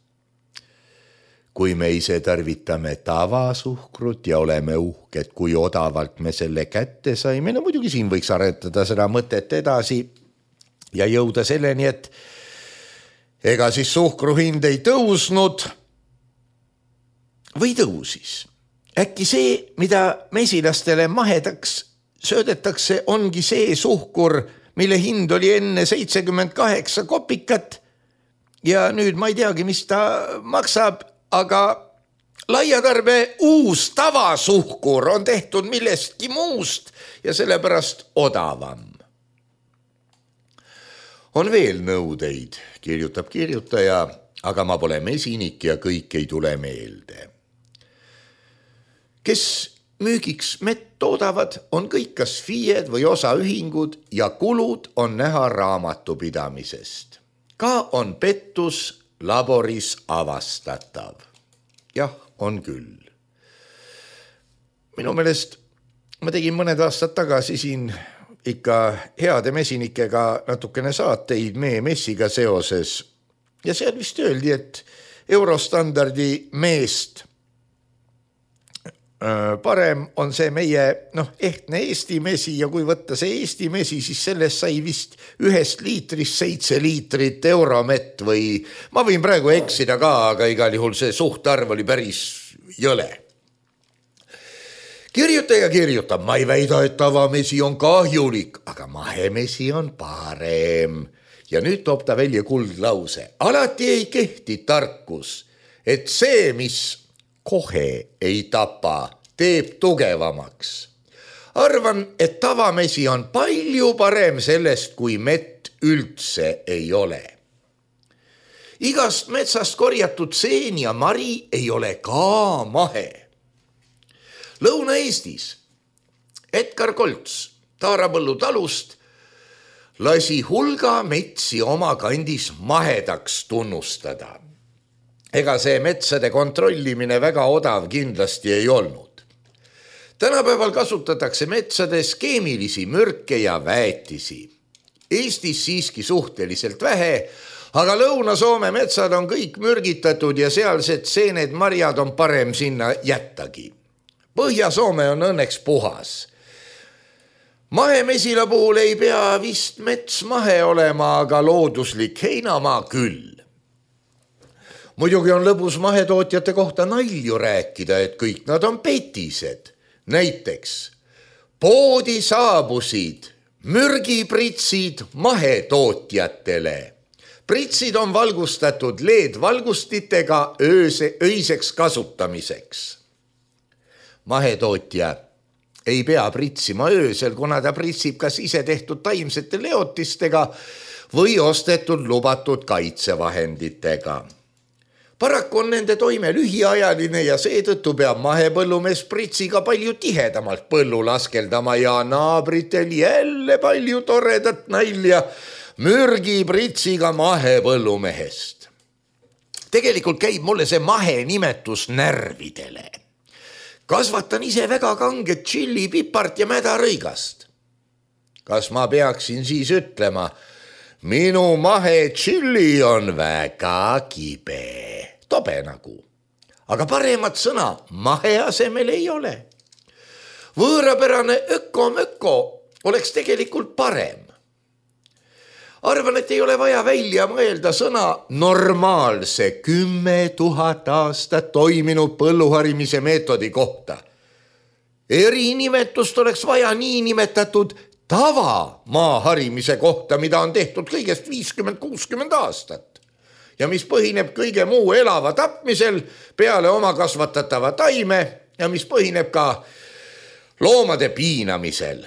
S3: Kui me ise tarvitame tavasuhkrut ja oleme uhked, kui odavalt me selle kätte saime, no muidugi siin võiks aretada seda mõtet edasi ja jõuda selleni, et ega siis suhkru hind ei tõusnud või tõusis. Äkki see, mida mesilastele mahedaks söödetakse, ongi see suhkur, mille hind oli enne seitsekümmend kaheksa kopikat ja nüüd ma ei teagi, mis ta maksab, aga laiatarbe uus tavasuhkur on tehtud millestki muust ja sellepärast odavam. On veel nõudeid, kirjutab kirjutaja, aga ma pole mesinik ja kõik ei tule meelde. Kes müügiks mett toodavad, on kõik kas FIEd või osaühingud ja kulud on näha raamatupidamisest. Ka on pettus laboris avastatav. Jah, on küll. Minu meelest ma tegin mõned aastad tagasi siin ikka heade mesinikega natukene saateid mee messiga seoses. Ja seal vist öeldi, et eurostandardi meest parem on see meie noh, ehtne Eesti mesi ja kui võtta see Eesti mesi, siis sellest sai vist ühest liitrist seitse liitrit euromett või ma võin praegu eksida ka, aga igal juhul see suhtarv oli päris jõle. Kirjutaja kirjutab, ma ei väida, et tavamesi on kahjulik, aga mahemesi on parem. Ja nüüd toob ta välja kuldlause. Alati ei kehti tarkus, et see, mis kohe ei tapa, teeb tugevamaks. Arvan, et tavamesi on palju parem sellest, kui mett üldse ei ole. Igast metsast korjatud seen ja mari ei ole ka mahe. Lõuna-Eestis Edgar Kolts Taarapõllu talust lasi hulga metsi oma kandis mahedaks tunnustada. Ega see metsade kontrollimine väga odav kindlasti ei olnud. Tänapäeval kasutatakse metsades keemilisi mürke ja väetisi. Eestis siiski suhteliselt vähe, aga Lõuna-Soome metsad on kõik mürgitatud ja sealsed seened marjad on parem sinna jättagi. Põhja-Soome on õnneks puhas. Mahemesila puhul ei pea vist mets mahe olema, aga looduslik heinamaa küll. Muidugi on lõbus mahetootjate kohta nalju rääkida, et kõik nad on petised. Näiteks poodi saabusid mürgipritsid mahetootjatele. Pritsid on valgustatud L E D-valgustitega ööse, öiseks kasutamiseks. Mahetootja ei pea pritsima öösel, kuna ta pritsib kas ise tehtud taimsete leotistega või ostetud lubatud kaitsevahenditega. Paraku on nende toime lühiajaline ja seetõttu peab mahepõllumees pritsiga palju tihedamalt põllu laskeldama ja naabritel jälle palju toredat nalja mürgipritsiga mahepõllumehest. Tegelikult käib mulle see mahe nimetus närvidele. Kasvatan ise väga kanget tšilli, pipart ja mädarõigast. Kas ma peaksin siis ütlema, minu mahe tšilli on väga kibe, tobe nagu. aga paremat sõna mahe asemel ei ole. Võõrapärane öko-möko oleks tegelikult parem. Arvan, et ei ole vaja välja mõelda sõna normaalse kümme tuhat aastat toiminud põlluharimise meetodi kohta. Erinimetust oleks vaja nii nimetatud tava maaharimise kohta, mida on tehtud kõigest viiskümmend kuuskümmend aastat ja mis põhineb kõige muu elava tapmisel peale oma kasvatatava taime ja mis põhineb ka loomade piinamisel.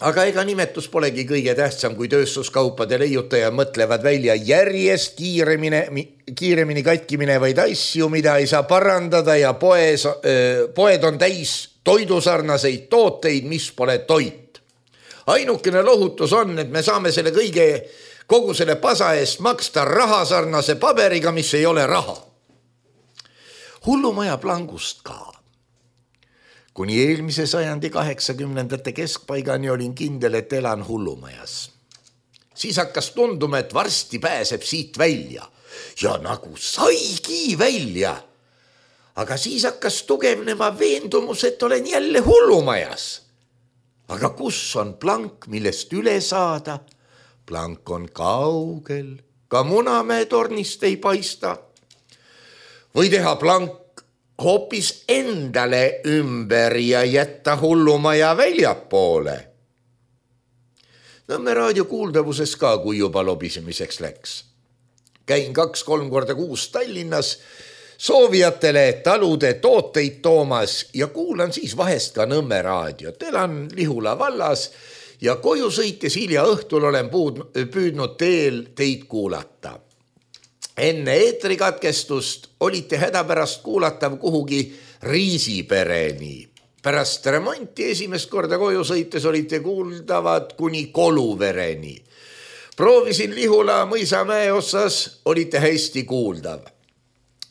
S3: Aga ega nimetus polegi kõige tähtsam, kui tööstuskaupade leiutaja mõtlevad välja järjest kiiremini, kiiremini katki minevaid asju, mida ei saa parandada ja poes, poed on täis toidusarnaseid tooteid, mis pole toit. Ainukene lohutus on, et me saame selle kõige, kogu selle pasa eest maksta rahasarnase paberiga, mis ei ole raha. Hullumaja plangust ka. Kuni eelmise sajandi kaheksakümnendate keskpaigani olin kindel, et elan hullumajas. Siis hakkas tunduma, et varsti pääseb siit välja. Ja nagu saigi välja. Aga siis hakkas tugevnema veendumus, et olen jälle hullumajas. Aga kus on plank, millest üle saada? Plank on kaugel. Ka Munamäe tornist ei paista. Või teha plank hoopis endale ümber ja jätta hullumaja väljapoole. Nõmme raadio kuuldavuses ka, kui juba lobisemiseks läks. Käin kaks-kolm korda kuus Tallinnas soovijatele talude tooteid toomas ja kuulan siis vahest ka Nõmme raadiot. Elan Lihula vallas ja koju sõites hilja õhtul olen püüdnud teel teid kuulata. Enne eetrikatkestust olite hädapärast kuulatav kuhugi Riisipereni. Pärast remonti esimest korda koju sõites olite kuuldavad kuni Koluvereni. Proovisin Lihula mõisamäe otsas, olite hästi kuuldav.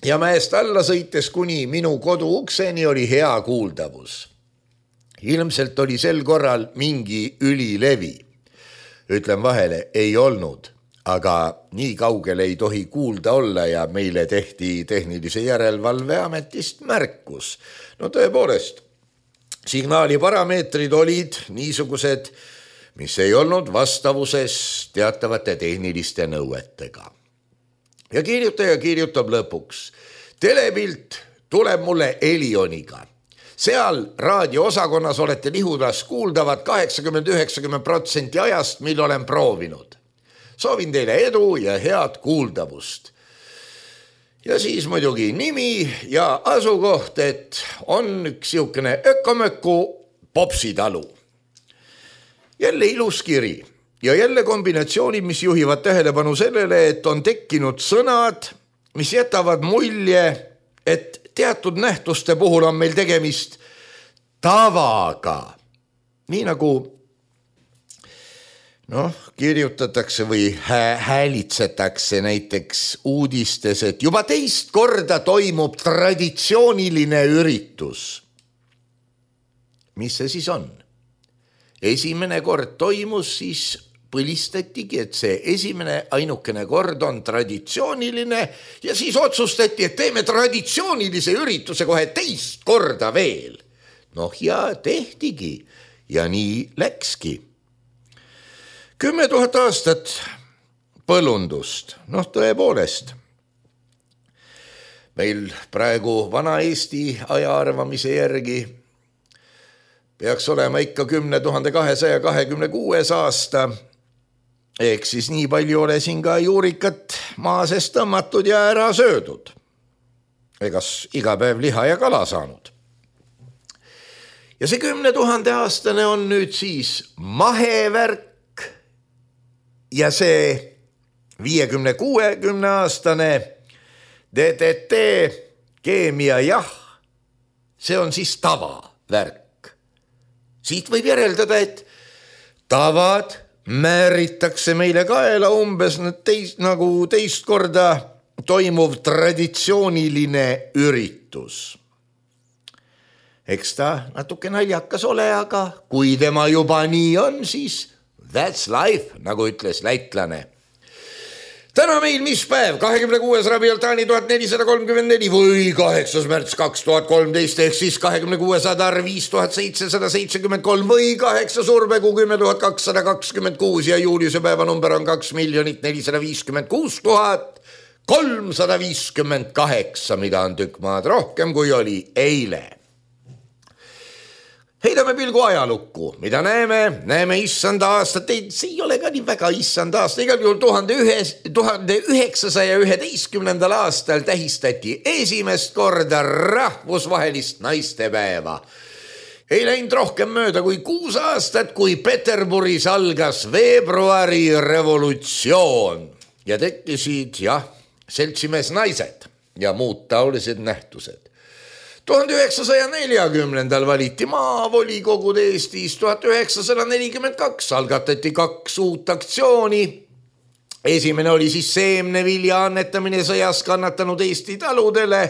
S3: Ja mäest alla sõites kuni minu kodu ukseni oli hea kuuldavus. Ilmselt oli sel korral mingi ülilevi. Ütlen vahele, ei olnud. Aga nii kaugele ei tohi kuulda olla ja meile tehti tehnilise järelevalve ametist märkus. No tõepoolest, signaali parameetrid olid niisugused, mis ei olnud vastavuses teatavate tehniliste nõuetega. Ja kirjutaja kirjutab lõpuks. Telepilt tuleb mulle Elioniga. Seal raadioosakonnas olete Lihulas kuuldavad kaheksakümmend üheksakümmend protsenti ajast, mil olen proovinud. Soovin teile edu ja head kuuldavust. Ja siis muidugi nimi ja asukoht, et on üks siukene ökomökku popsitalu. Jälle ilus kiri ja jälle kombinatsioonid, mis juhivad tähelepanu sellele, et on tekkinud sõnad, mis jätavad mulje, et teatud nähtuste puhul on meil tegemist tavaga. Nii nagu noh, kirjutatakse või häälitsetakse näiteks uudistes, et juba teist korda toimub traditsiooniline üritus. Mis see siis on? Esimene kord toimus, siis põlistatigi, et see esimene ainukene kord on traditsiooniline ja siis otsustati, et teeme traditsioonilise ürituse kohe teist korda veel. Noh ja tehtigi ja nii läkski. Kümme tuhat aastat põllundust, noh tõepoolest. Meil praegu vana Eesti aja arvamise järgi peaks olema ikka kümne tuhande kahesaja kahekümne kuues aasta, ehk siis nii palju ole siin ka juurikat maa seest tõmmatud ja ära söödud. Egas iga päev liha ja kala saanud. Ja see kümne tuhande aastane on nüüd siis mahevärk, ja see viiekümne kuuekümne aastane D D T keemia jah, see on siis tavavärk. Siit võib järeldada, et tavad määritakse meile kaela umbes teist, nagu teist korda toimuv traditsiooniline üritus. Eks ta natuke naljakas ole, aga kui tema juba nii on, siis that's life, nagu ütles läitlane. täna meil mis päev? kahekümne kuues Rabiul Taani tuhat nelisada kolmkümmend neli või kaheksas märts kaks tuhat kolmteist ehk siis kahekümne kuues Adar viis tuhat seitsesada seitsekümmend kolm või kaheksas Urbekuu kümme tuhat kakssada kakskümmend kuus ja Juliuse päevanumber on kaks miljonit nelisada viiskümmend kuus tuhat kolmsada viiskümmend kaheksa, mida on tükk maad rohkem kui oli eile. Heidame pilgu ajalukku, mida näeme, näeme issanda aastat, ei, see ei ole ka nii väga issanda aasta, igal juhul tuhande üheksasaja üheteistkümnendal aastal tähistati esimest korda rahvusvahelist naistepäeva. Ei läinud rohkem mööda kui kuus aastat, kui Peterburis algas veebruari revolutsioon ja tekkisid, jah, seltsimees naised ja muud taolised nähtused. tuhande üheksasaja neljakümnendal valiti maavolikogud Eestis, tuhat üheksasada nelikümmend kaks algatati kaks uut aktsiooni. Esimene oli siis seemnevilja annetamine sõjas kannatanud Eesti taludele.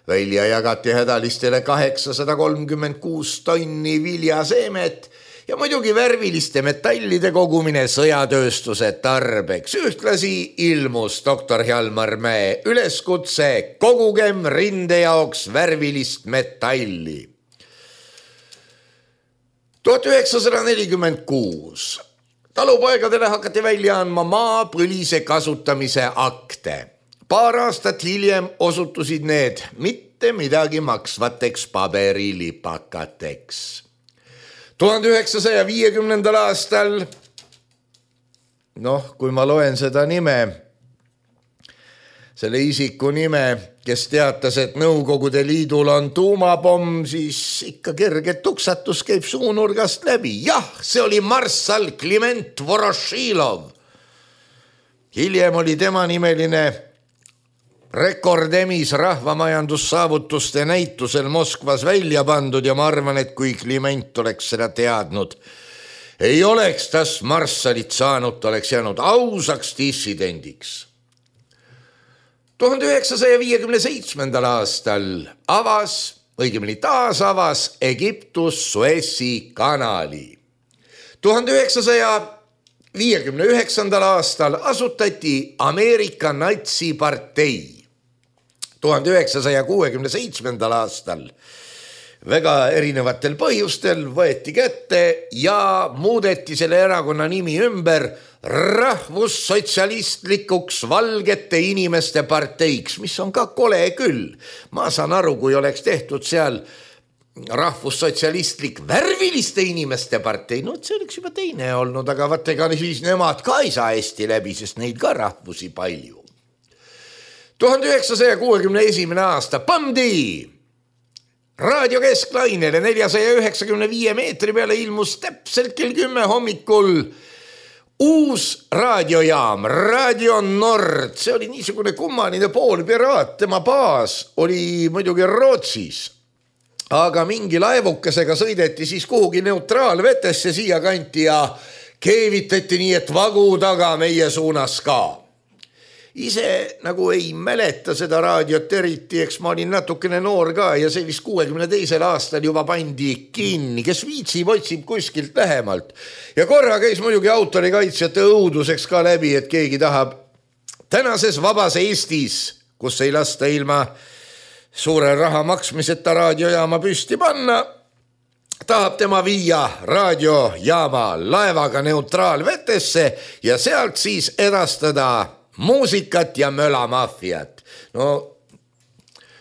S3: Välja jagati hädalistele kaheksasada kolmkümmend kuus tonni viljaseemet ja muidugi värviliste metallide kogumine sõjatööstuse tarbeks. Ühtlasi ilmus doktor Hjalmar Mäe üleskutse kogugem rinde jaoks värvilist metalli. tuhat üheksasada nelikümmend kuus talupoegadele hakati välja andma maapõlise kasutamise akte. Paar aastat hiljem osutusid need mitte midagi maksvateks paberilipakateks. tuhande üheksasaja viiekümnendal aastal, noh, kui ma loen seda nime, selle isiku nime, kes teatas, et Nõukogude Liidul on tuumapomm, siis ikka kerge tuksatus käib suunurgast läbi. Jah, see oli marssal Kliment Vorošilov. Hiljem oli tema nimeline rekordemis rahvamajandussaavutuste näitusel Moskvas välja pandud ja ma arvan, et kui Kliment oleks seda teadnud, ei oleks tas marssalit saanud, ta oleks jäänud ausaks dissidendiks. tuhande üheksasaja viiekümne seitsmendal aastal avas, õigemini taas avas Egiptus Suessi kanali. tuhande üheksasaja viiekümne üheksandal aastal asutati Ameerika natsipartei. tuhande üheksasaja kuuekümne seitsmendal aastal väga erinevatel põhjustel võeti kätte ja muudeti selle erakonna nimi ümber rahvussotsialistlikuks valgete inimeste parteiks, mis on ka kole küll. Ma saan aru, kui oleks tehtud seal rahvussotsialistlik värviliste inimeste partei, no see oleks juba teine olnud, aga vaata, ega siis nemad ka ei saa hästi läbi, sest neid ka rahvusi palju. tuhande üheksasaja kuuekümne esimene aasta pandi raadio kesklainele neljasaja üheksakümne viie meetri peale ilmus täpselt kell kümme hommikul uus raadiojaam, Radio Nord. See oli niisugune kummaline poolpiraat, tema baas oli muidugi Rootsis, aga mingi laevukesega sõideti siis kuhugi neutraalvetesse siia kanti ja keevitati nii, et vagu taga meie suunas ka. Ise nagu ei mäleta seda raadiot eriti, eks ma olin natukene noor ka ja see vist kuuekümne teisel aastal juba pandi kinni, kes viitsib, otsib kuskilt lähemalt. Ja korra käis muidugi autorikaitsjate õuduseks ka läbi, et keegi tahab tänases vabas Eestis, kus ei lasta ilma suure raha maksmiseta raadiojaama püsti panna, tahab tema viia raadiojaama laevaga neutraalvetesse ja sealt siis edastada muusikat ja mölamafiat. No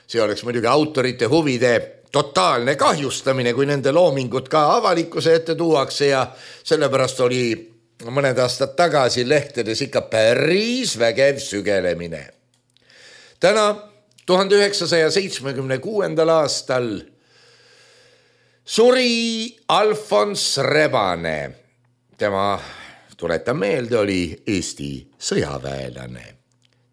S3: see oleks muidugi autorite huvide totaalne kahjustamine, kui nende loomingut ka avalikkuse ette tuuakse ja sellepärast oli mõned aastad tagasi lehtedes ikka päris vägev sügelemine. Täna tuhande üheksasaja seitsmekümne kuuendal aastal suri Alfons Rebane. Tema, tuletan meelde, oli Eesti sõjaväelane.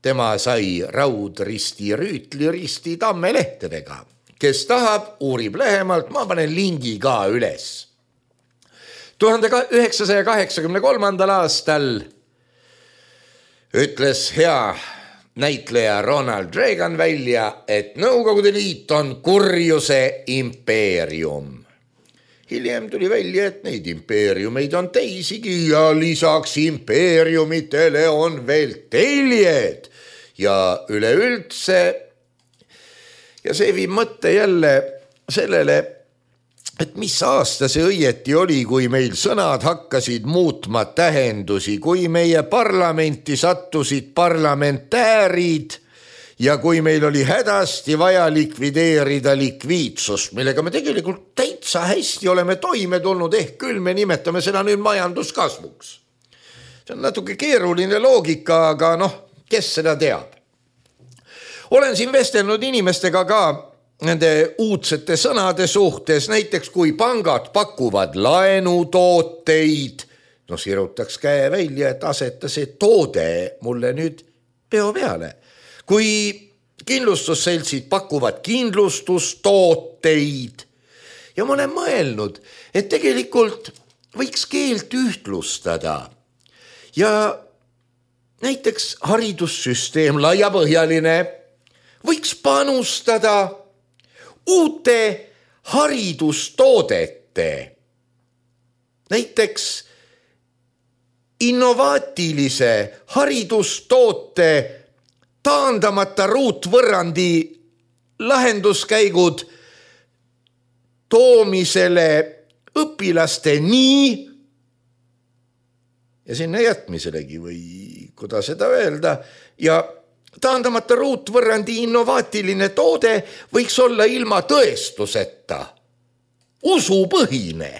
S3: Tema sai raudristi rüütli risti tammelehtedega. Kes tahab, uurib lähemalt, ma panen lingi ka üles. tuhande üheksasaja kaheksakümne kolmandal aastal ütles hea näitleja Ronald Reagan välja, et Nõukogude Liit on kurjuse impeerium. hiljem tuli välja, et neid impeeriumeid on teisigi ja lisaks impeeriumitele on veel teljed ja üleüldse. Ja see viib mõtte jälle sellele, et mis aasta see õieti oli, kui meil sõnad hakkasid muutma tähendusi, kui meie parlamenti sattusid parlamentäärid ja kui meil oli hädasti vaja likvideerida likviidsust, millega me tegelikult täitsa hästi oleme toime tulnud, ehk küll me nimetame seda nüüd majanduskasvuks. See on natuke keeruline loogika, aga noh, kes seda teab. Olen siin vestelnud inimestega ka nende uudsete sõnade suhtes, näiteks kui pangad pakuvad laenutooteid, no sirutaks käe välja, et aseta see toode mulle nüüd peo peale. Kui kindlustusseltsid pakuvad kindlustustooteid ja ma olen mõelnud, et tegelikult võiks keelt ühtlustada ja näiteks haridussüsteem laiapõhjaline võiks panustada uute haridustoodete, näiteks innovaatilise haridustoote taandamata ruutvõrrandi lahenduskäigud toomisele õpilasteni ja sinna jätmiselegi või kuidas seda öelda ja taandamata ruutvõrrandi innovaatiline toode võiks olla ilma tõestuseta, usupõhine.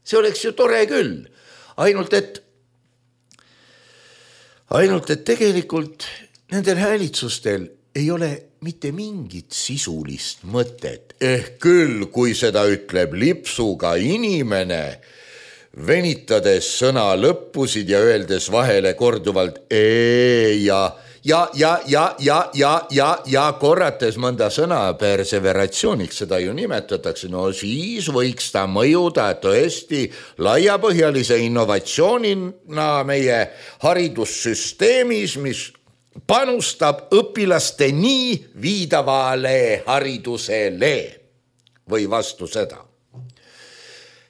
S3: See oleks ju tore küll, ainult et, ainult et tegelikult nendel häälitsustel ei ole mitte mingit sisulist mõtet. Ehk küll, kui seda ütleb lipsuga inimene, venitades sõna lõppusid ja öeldes vahele korduvalt ee ja Ja, ja, ja, ja, ja, ja, ja korrates mõnda sõna perseveratsiooniks, seda ju nimetatakse, no siis võiks ta mõjuda tõesti laiapõhjalise innovatsioonina meie haridussüsteemis, mis panustab õpilasteni viidavale haridusele või vastu seda.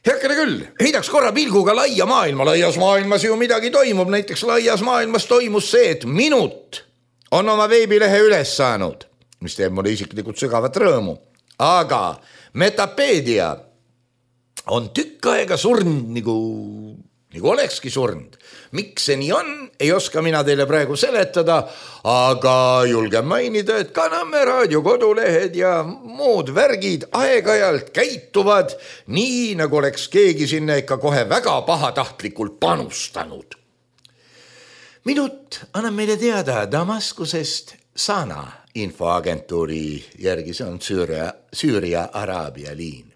S3: Heakene küll, heidaks korra pilguga laia maailma, laias maailmas ju midagi toimub, näiteks laias maailmas toimus see, et Minut on oma veebilehe üles saanud, mis teeb mulle isiklikult sügavat rõõmu, aga Metapedia on tükk aega surnud, nagu, nagu olekski surnud. Miks see nii on, ei oska mina teile praegu seletada, aga julgen mainida, et ka Nõmme raadio kodulehed ja muud värgid aeg-ajalt käituvad nii, nagu oleks keegi sinna ikka kohe väga pahatahtlikult panustanud. Minut annab meile teada Damaskusest Sana infoagentuuri järgi, see on Süüria, Süüria Araabia liin.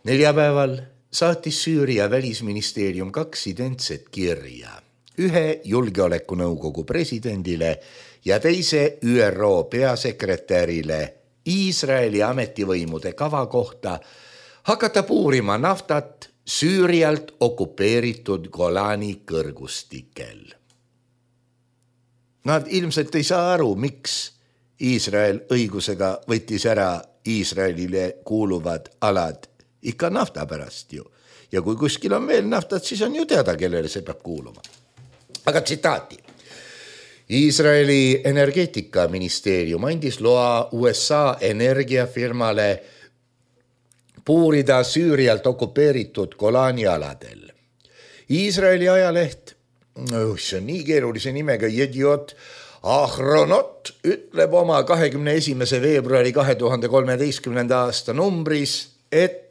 S3: Neljapäeval saatis Süüria välisministeerium kaks identset kirja, ühe julgeolekunõukogu presidendile ja teise Ü R O peasekretärile Iisraeli ametivõimude kava kohta hakata puurima naftat Süürialt okupeeritud Golani kõrgustikel. Nad ilmselt ei saa aru, miks Iisrael õigusega võttis ära Iisraelile kuuluvad alad ikka nafta pärast ju. Ja kui kuskil on veel naftat, siis on ju teada, kellele see peab kuuluma. Aga tsitaati. Iisraeli energeetikaministeerium andis loa U S A energiafirmale puurida Süürialt okupeeritud Golani aladel. Iisraeli ajaleht, see on nii keerulise nimega, Jediot Ahronot ütleb oma kahekümne esimese veebruari kahe tuhande kolmeteistkümnenda aasta numbris, et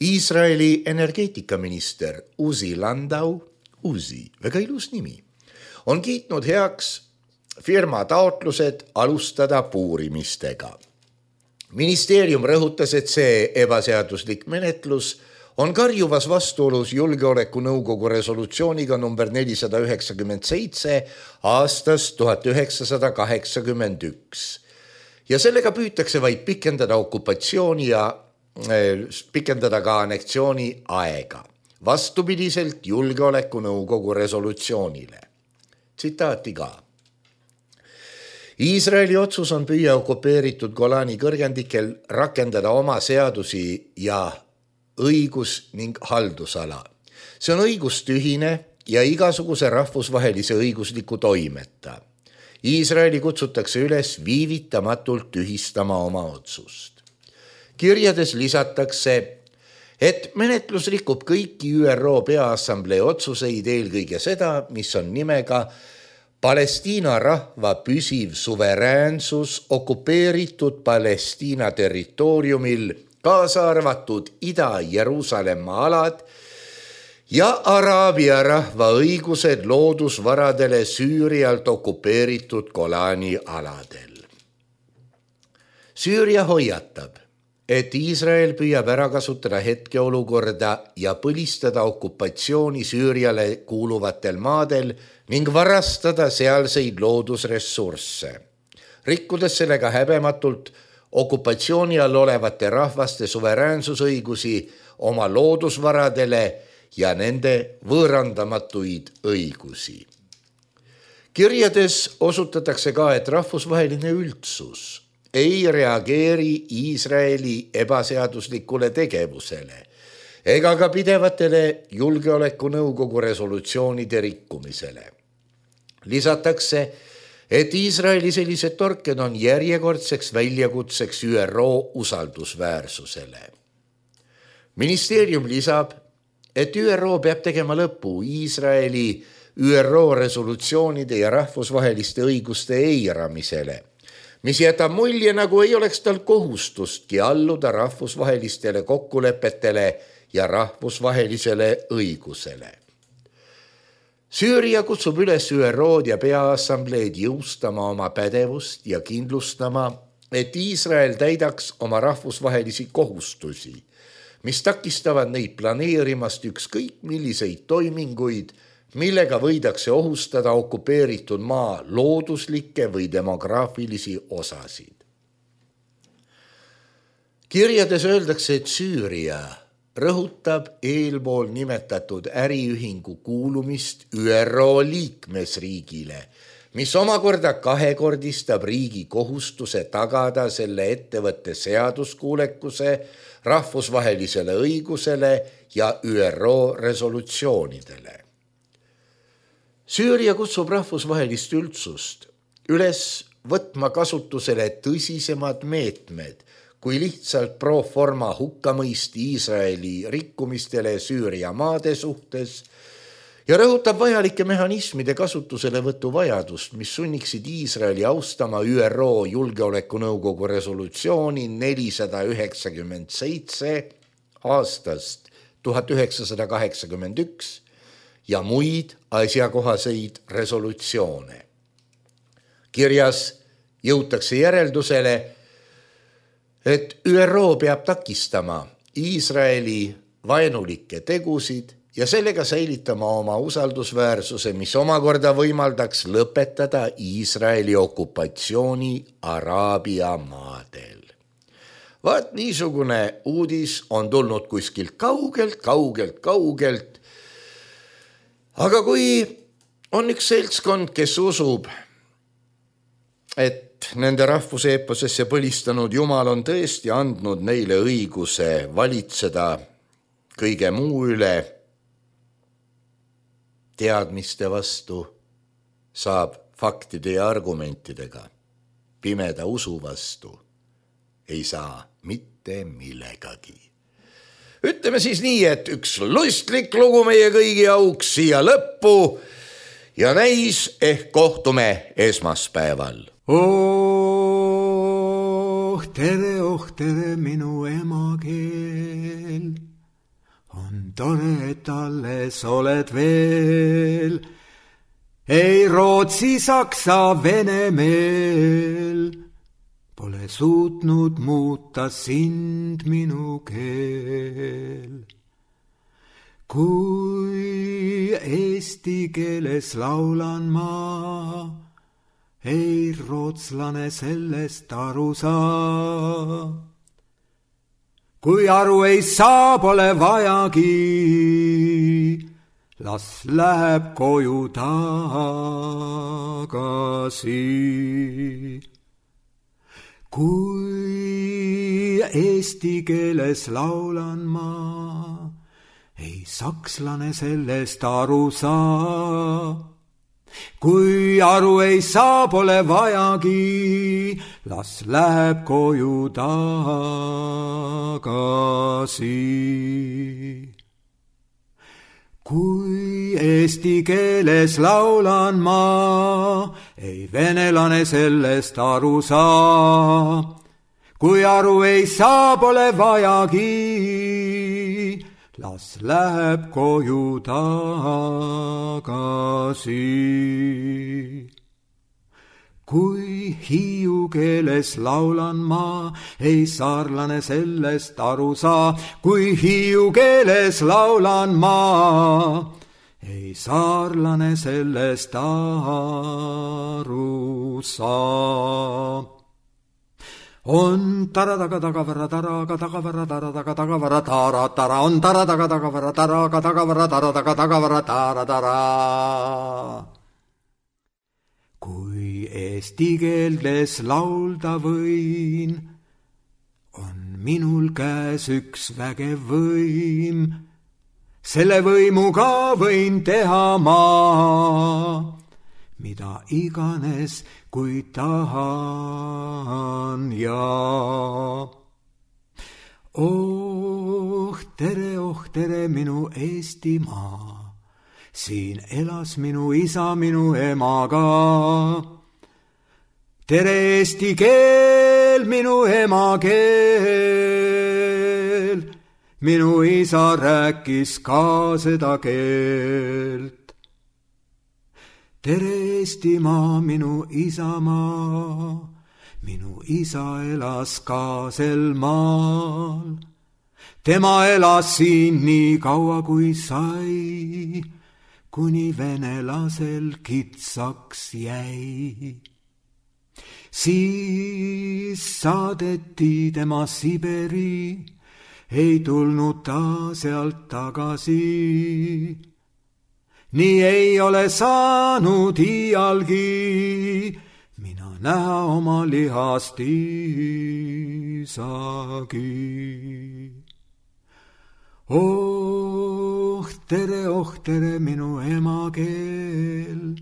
S3: Iisraeli energeetikaminister Uzi Landau, Uzi, väga ilus nimi, on kiitnud heaks firma taotlused alustada puurimistega. Ministeerium rõhutas, et see ebaseaduslik menetlus on karjuvas vastuolus julgeolekunõukogu resolutsiooniga number nelisada üheksakümmend seitse aastast tuhat üheksasada kaheksakümmend üks. Ja sellega püütakse vaid pikendada okupatsiooni ja pikendada ka anneksiooni aega, vastupidiselt julgeolekunõukogu resolutsioonile. Tsitaati ka. Iisraeli otsus on püüa okupeeritud Golani kõrgendikel rakendada oma seadusi ja õigus ning haldusala. See on õigustühine ja igasuguse rahvusvahelise õigusliku toimeta. Iisraeli kutsutakse üles viivitamatult tühistama oma otsust. Kirjades lisatakse, et menetlus rikub kõiki Ü R O Peaassamblee otsuseid, eelkõige seda, mis on nimega Palestiina rahva püsiv suveräänsus okupeeritud Palestiina territooriumil, kaasa arvatud Ida-Jeruusalemma alad ja Araabia rahva õigused loodusvaradele Süürialt okupeeritud Golani aladel. Süüria hoiatab, et Iisrael püüab ära kasutada hetkeolukorda ja põlistada okupatsiooni Süüriale kuuluvatel maadel ning varastada sealseid loodusressursse, rikkudes sellega häbematult okupatsiooni all olevate rahvaste suveräänsusõigusi oma loodusvaradele ja nende võõrandamatuid õigusi. Kirjades osutatakse ka, et rahvusvaheline üldsus ei reageeri Iisraeli ebaseaduslikule tegevusele ega ka pidevatele julgeolekunõukogu resolutsioonide rikkumisele. Lisatakse, et Iisraeli sellised torked on järjekordseks väljakutseks Ü R O usaldusväärsusele. Ministeerium lisab, et Ü R O peab tegema lõpu Iisraeli Ü R O resolutsioonide ja rahvusvaheliste õiguste eiramisele, mis jätab mulje, nagu ei oleks tal kohustustki alluda rahvusvahelistele kokkulepetele ja rahvusvahelisele õigusele. Süüria kutsub üles Ü R O-d ja Peaassambleed jõustama oma pädevust ja kindlustama, et Iisrael täidaks oma rahvusvahelisi kohustusi, mis takistavad neid planeerimast ükskõik milliseid toiminguid, millega võidakse ohustada okupeeritud maa looduslikke või demograafilisi osasid. Kirjades öeldakse, et Süüria rõhutab eelpool nimetatud äriühingu kuulumist Ü R O liikmesriigile, mis omakorda kahekordistab riigi kohustuse tagada selle ettevõtte seaduskuulekuse, rahvusvahelisele õigusele ja Ü R O resolutsioonidele. Süüria kutsub rahvusvahelist üldsust üles võtma kasutusele tõsisemad meetmed kui lihtsalt pro forma hukkamõist Iisraeli rikkumistele Süüria maade suhtes ja rõhutab vajalike mehhanismide kasutusele võtu vajadust, mis sunniksid Iisraeli austama Ü R O Julgeolekunõukogu resolutsiooni nelisada üheksakümmend seitse aastast tuhat üheksasada kaheksakümmend üks ja muid asjakohaseid resolutsioone. Kirjas jõutakse järeldusele, et Ü R O peab takistama Iisraeli vaenulikke tegusid ja sellega säilitama oma usaldusväärsuse, mis omakorda võimaldaks lõpetada Iisraeli okupatsiooni Araabia maadel. Vaat niisugune uudis on tulnud kuskilt kaugelt, kaugelt, kaugelt. Aga kui on üks seltskond, kes usub, et nende rahvuse eeposesse põlistanud Jumal on tõesti andnud neile õiguse valitseda kõige muu üle, teadmiste vastu saab faktide ja argumentidega, pimeda usu vastu ei saa mitte millegagi. Ütleme siis nii, et üks lustlik lugu meie kõigi auks siia lõppu ja näis ehk kohtume esmaspäeval.
S4: Oh, tere, oh, tere, minu emakeel. On tore, et alles oled veel. Ei Rootsi, Saksa, Venemeel. Pole suutnud muuta sind minu keel. Kui eesti keeles laulan ma, ei rootslane sellest aru saa. Kui aru ei saa, pole vajagi, las läheb koju tagasi. Kui eesti keeles laulan ma, ei sakslane sellest aru saa. Kui aru ei saa, pole vajagi, las läheb koju tagasi. Kui eesti keeles laulan ma, ei venelane sellest aru saa. Kui aru ei saa, pole vajagi, las läheb koju tagasi. Kui hiiu keeles laulan ma, ei saarlane sellest aru saa. Kui hiiu keeles laulan ma, ei saarlane sellest aru saa. On taradaga tagavara taraga tagavara taradaga tagavara tara tara. On taradaga tagavara taraga tagavara taradaga tagavara tara tara. Kui eesti keeles laulda võin, on minul käes üks vägev võim. Selle võimuga võin teha ma, mida iganes, kui tahan ja. Oh tere, oh tere, minu Eestimaa. Siin elas minu isa minu emaga. Tere eesti keel, minu emakeel. Minu isa rääkis ka seda keelt. Tere Eestimaa, minu isamaa. Minu isa elas ka sel maal. Tema elas siin nii kaua kui sai, kuni venelasel kitsaks jäi. Siis saadeti tema Siberi, ei tulnud ta sealt tagasi. Nii ei ole saanud iialgi mina näha oma lihast isagi. Oh tere, oh tere, minu emakeel.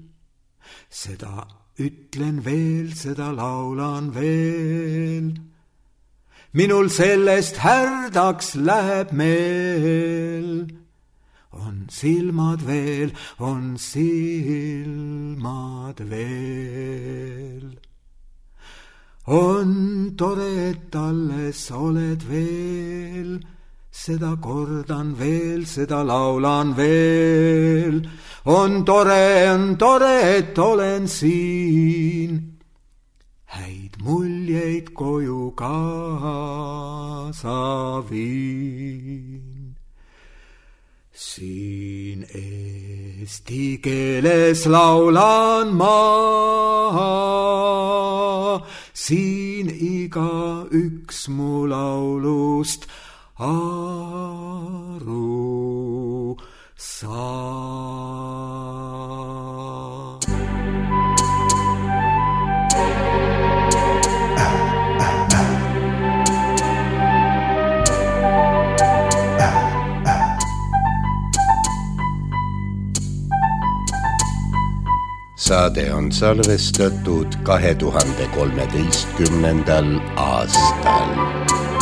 S4: Seda ütlen veel, seda laulan veel. Minul sellest härdaks läheb meel. On silmad veel, on silmad veel. On tore, et alles oled veel. Seda kordan veel, seda laulan veel. On tore, on tore, et olen siin. Häid muljeid koju kaasa viin. Siin eesti keeles laulan ma. Siin iga üks mu laulust aru saa.
S3: Saade on salvestatud kahe tuhande kolmeteistkümnendal aastal.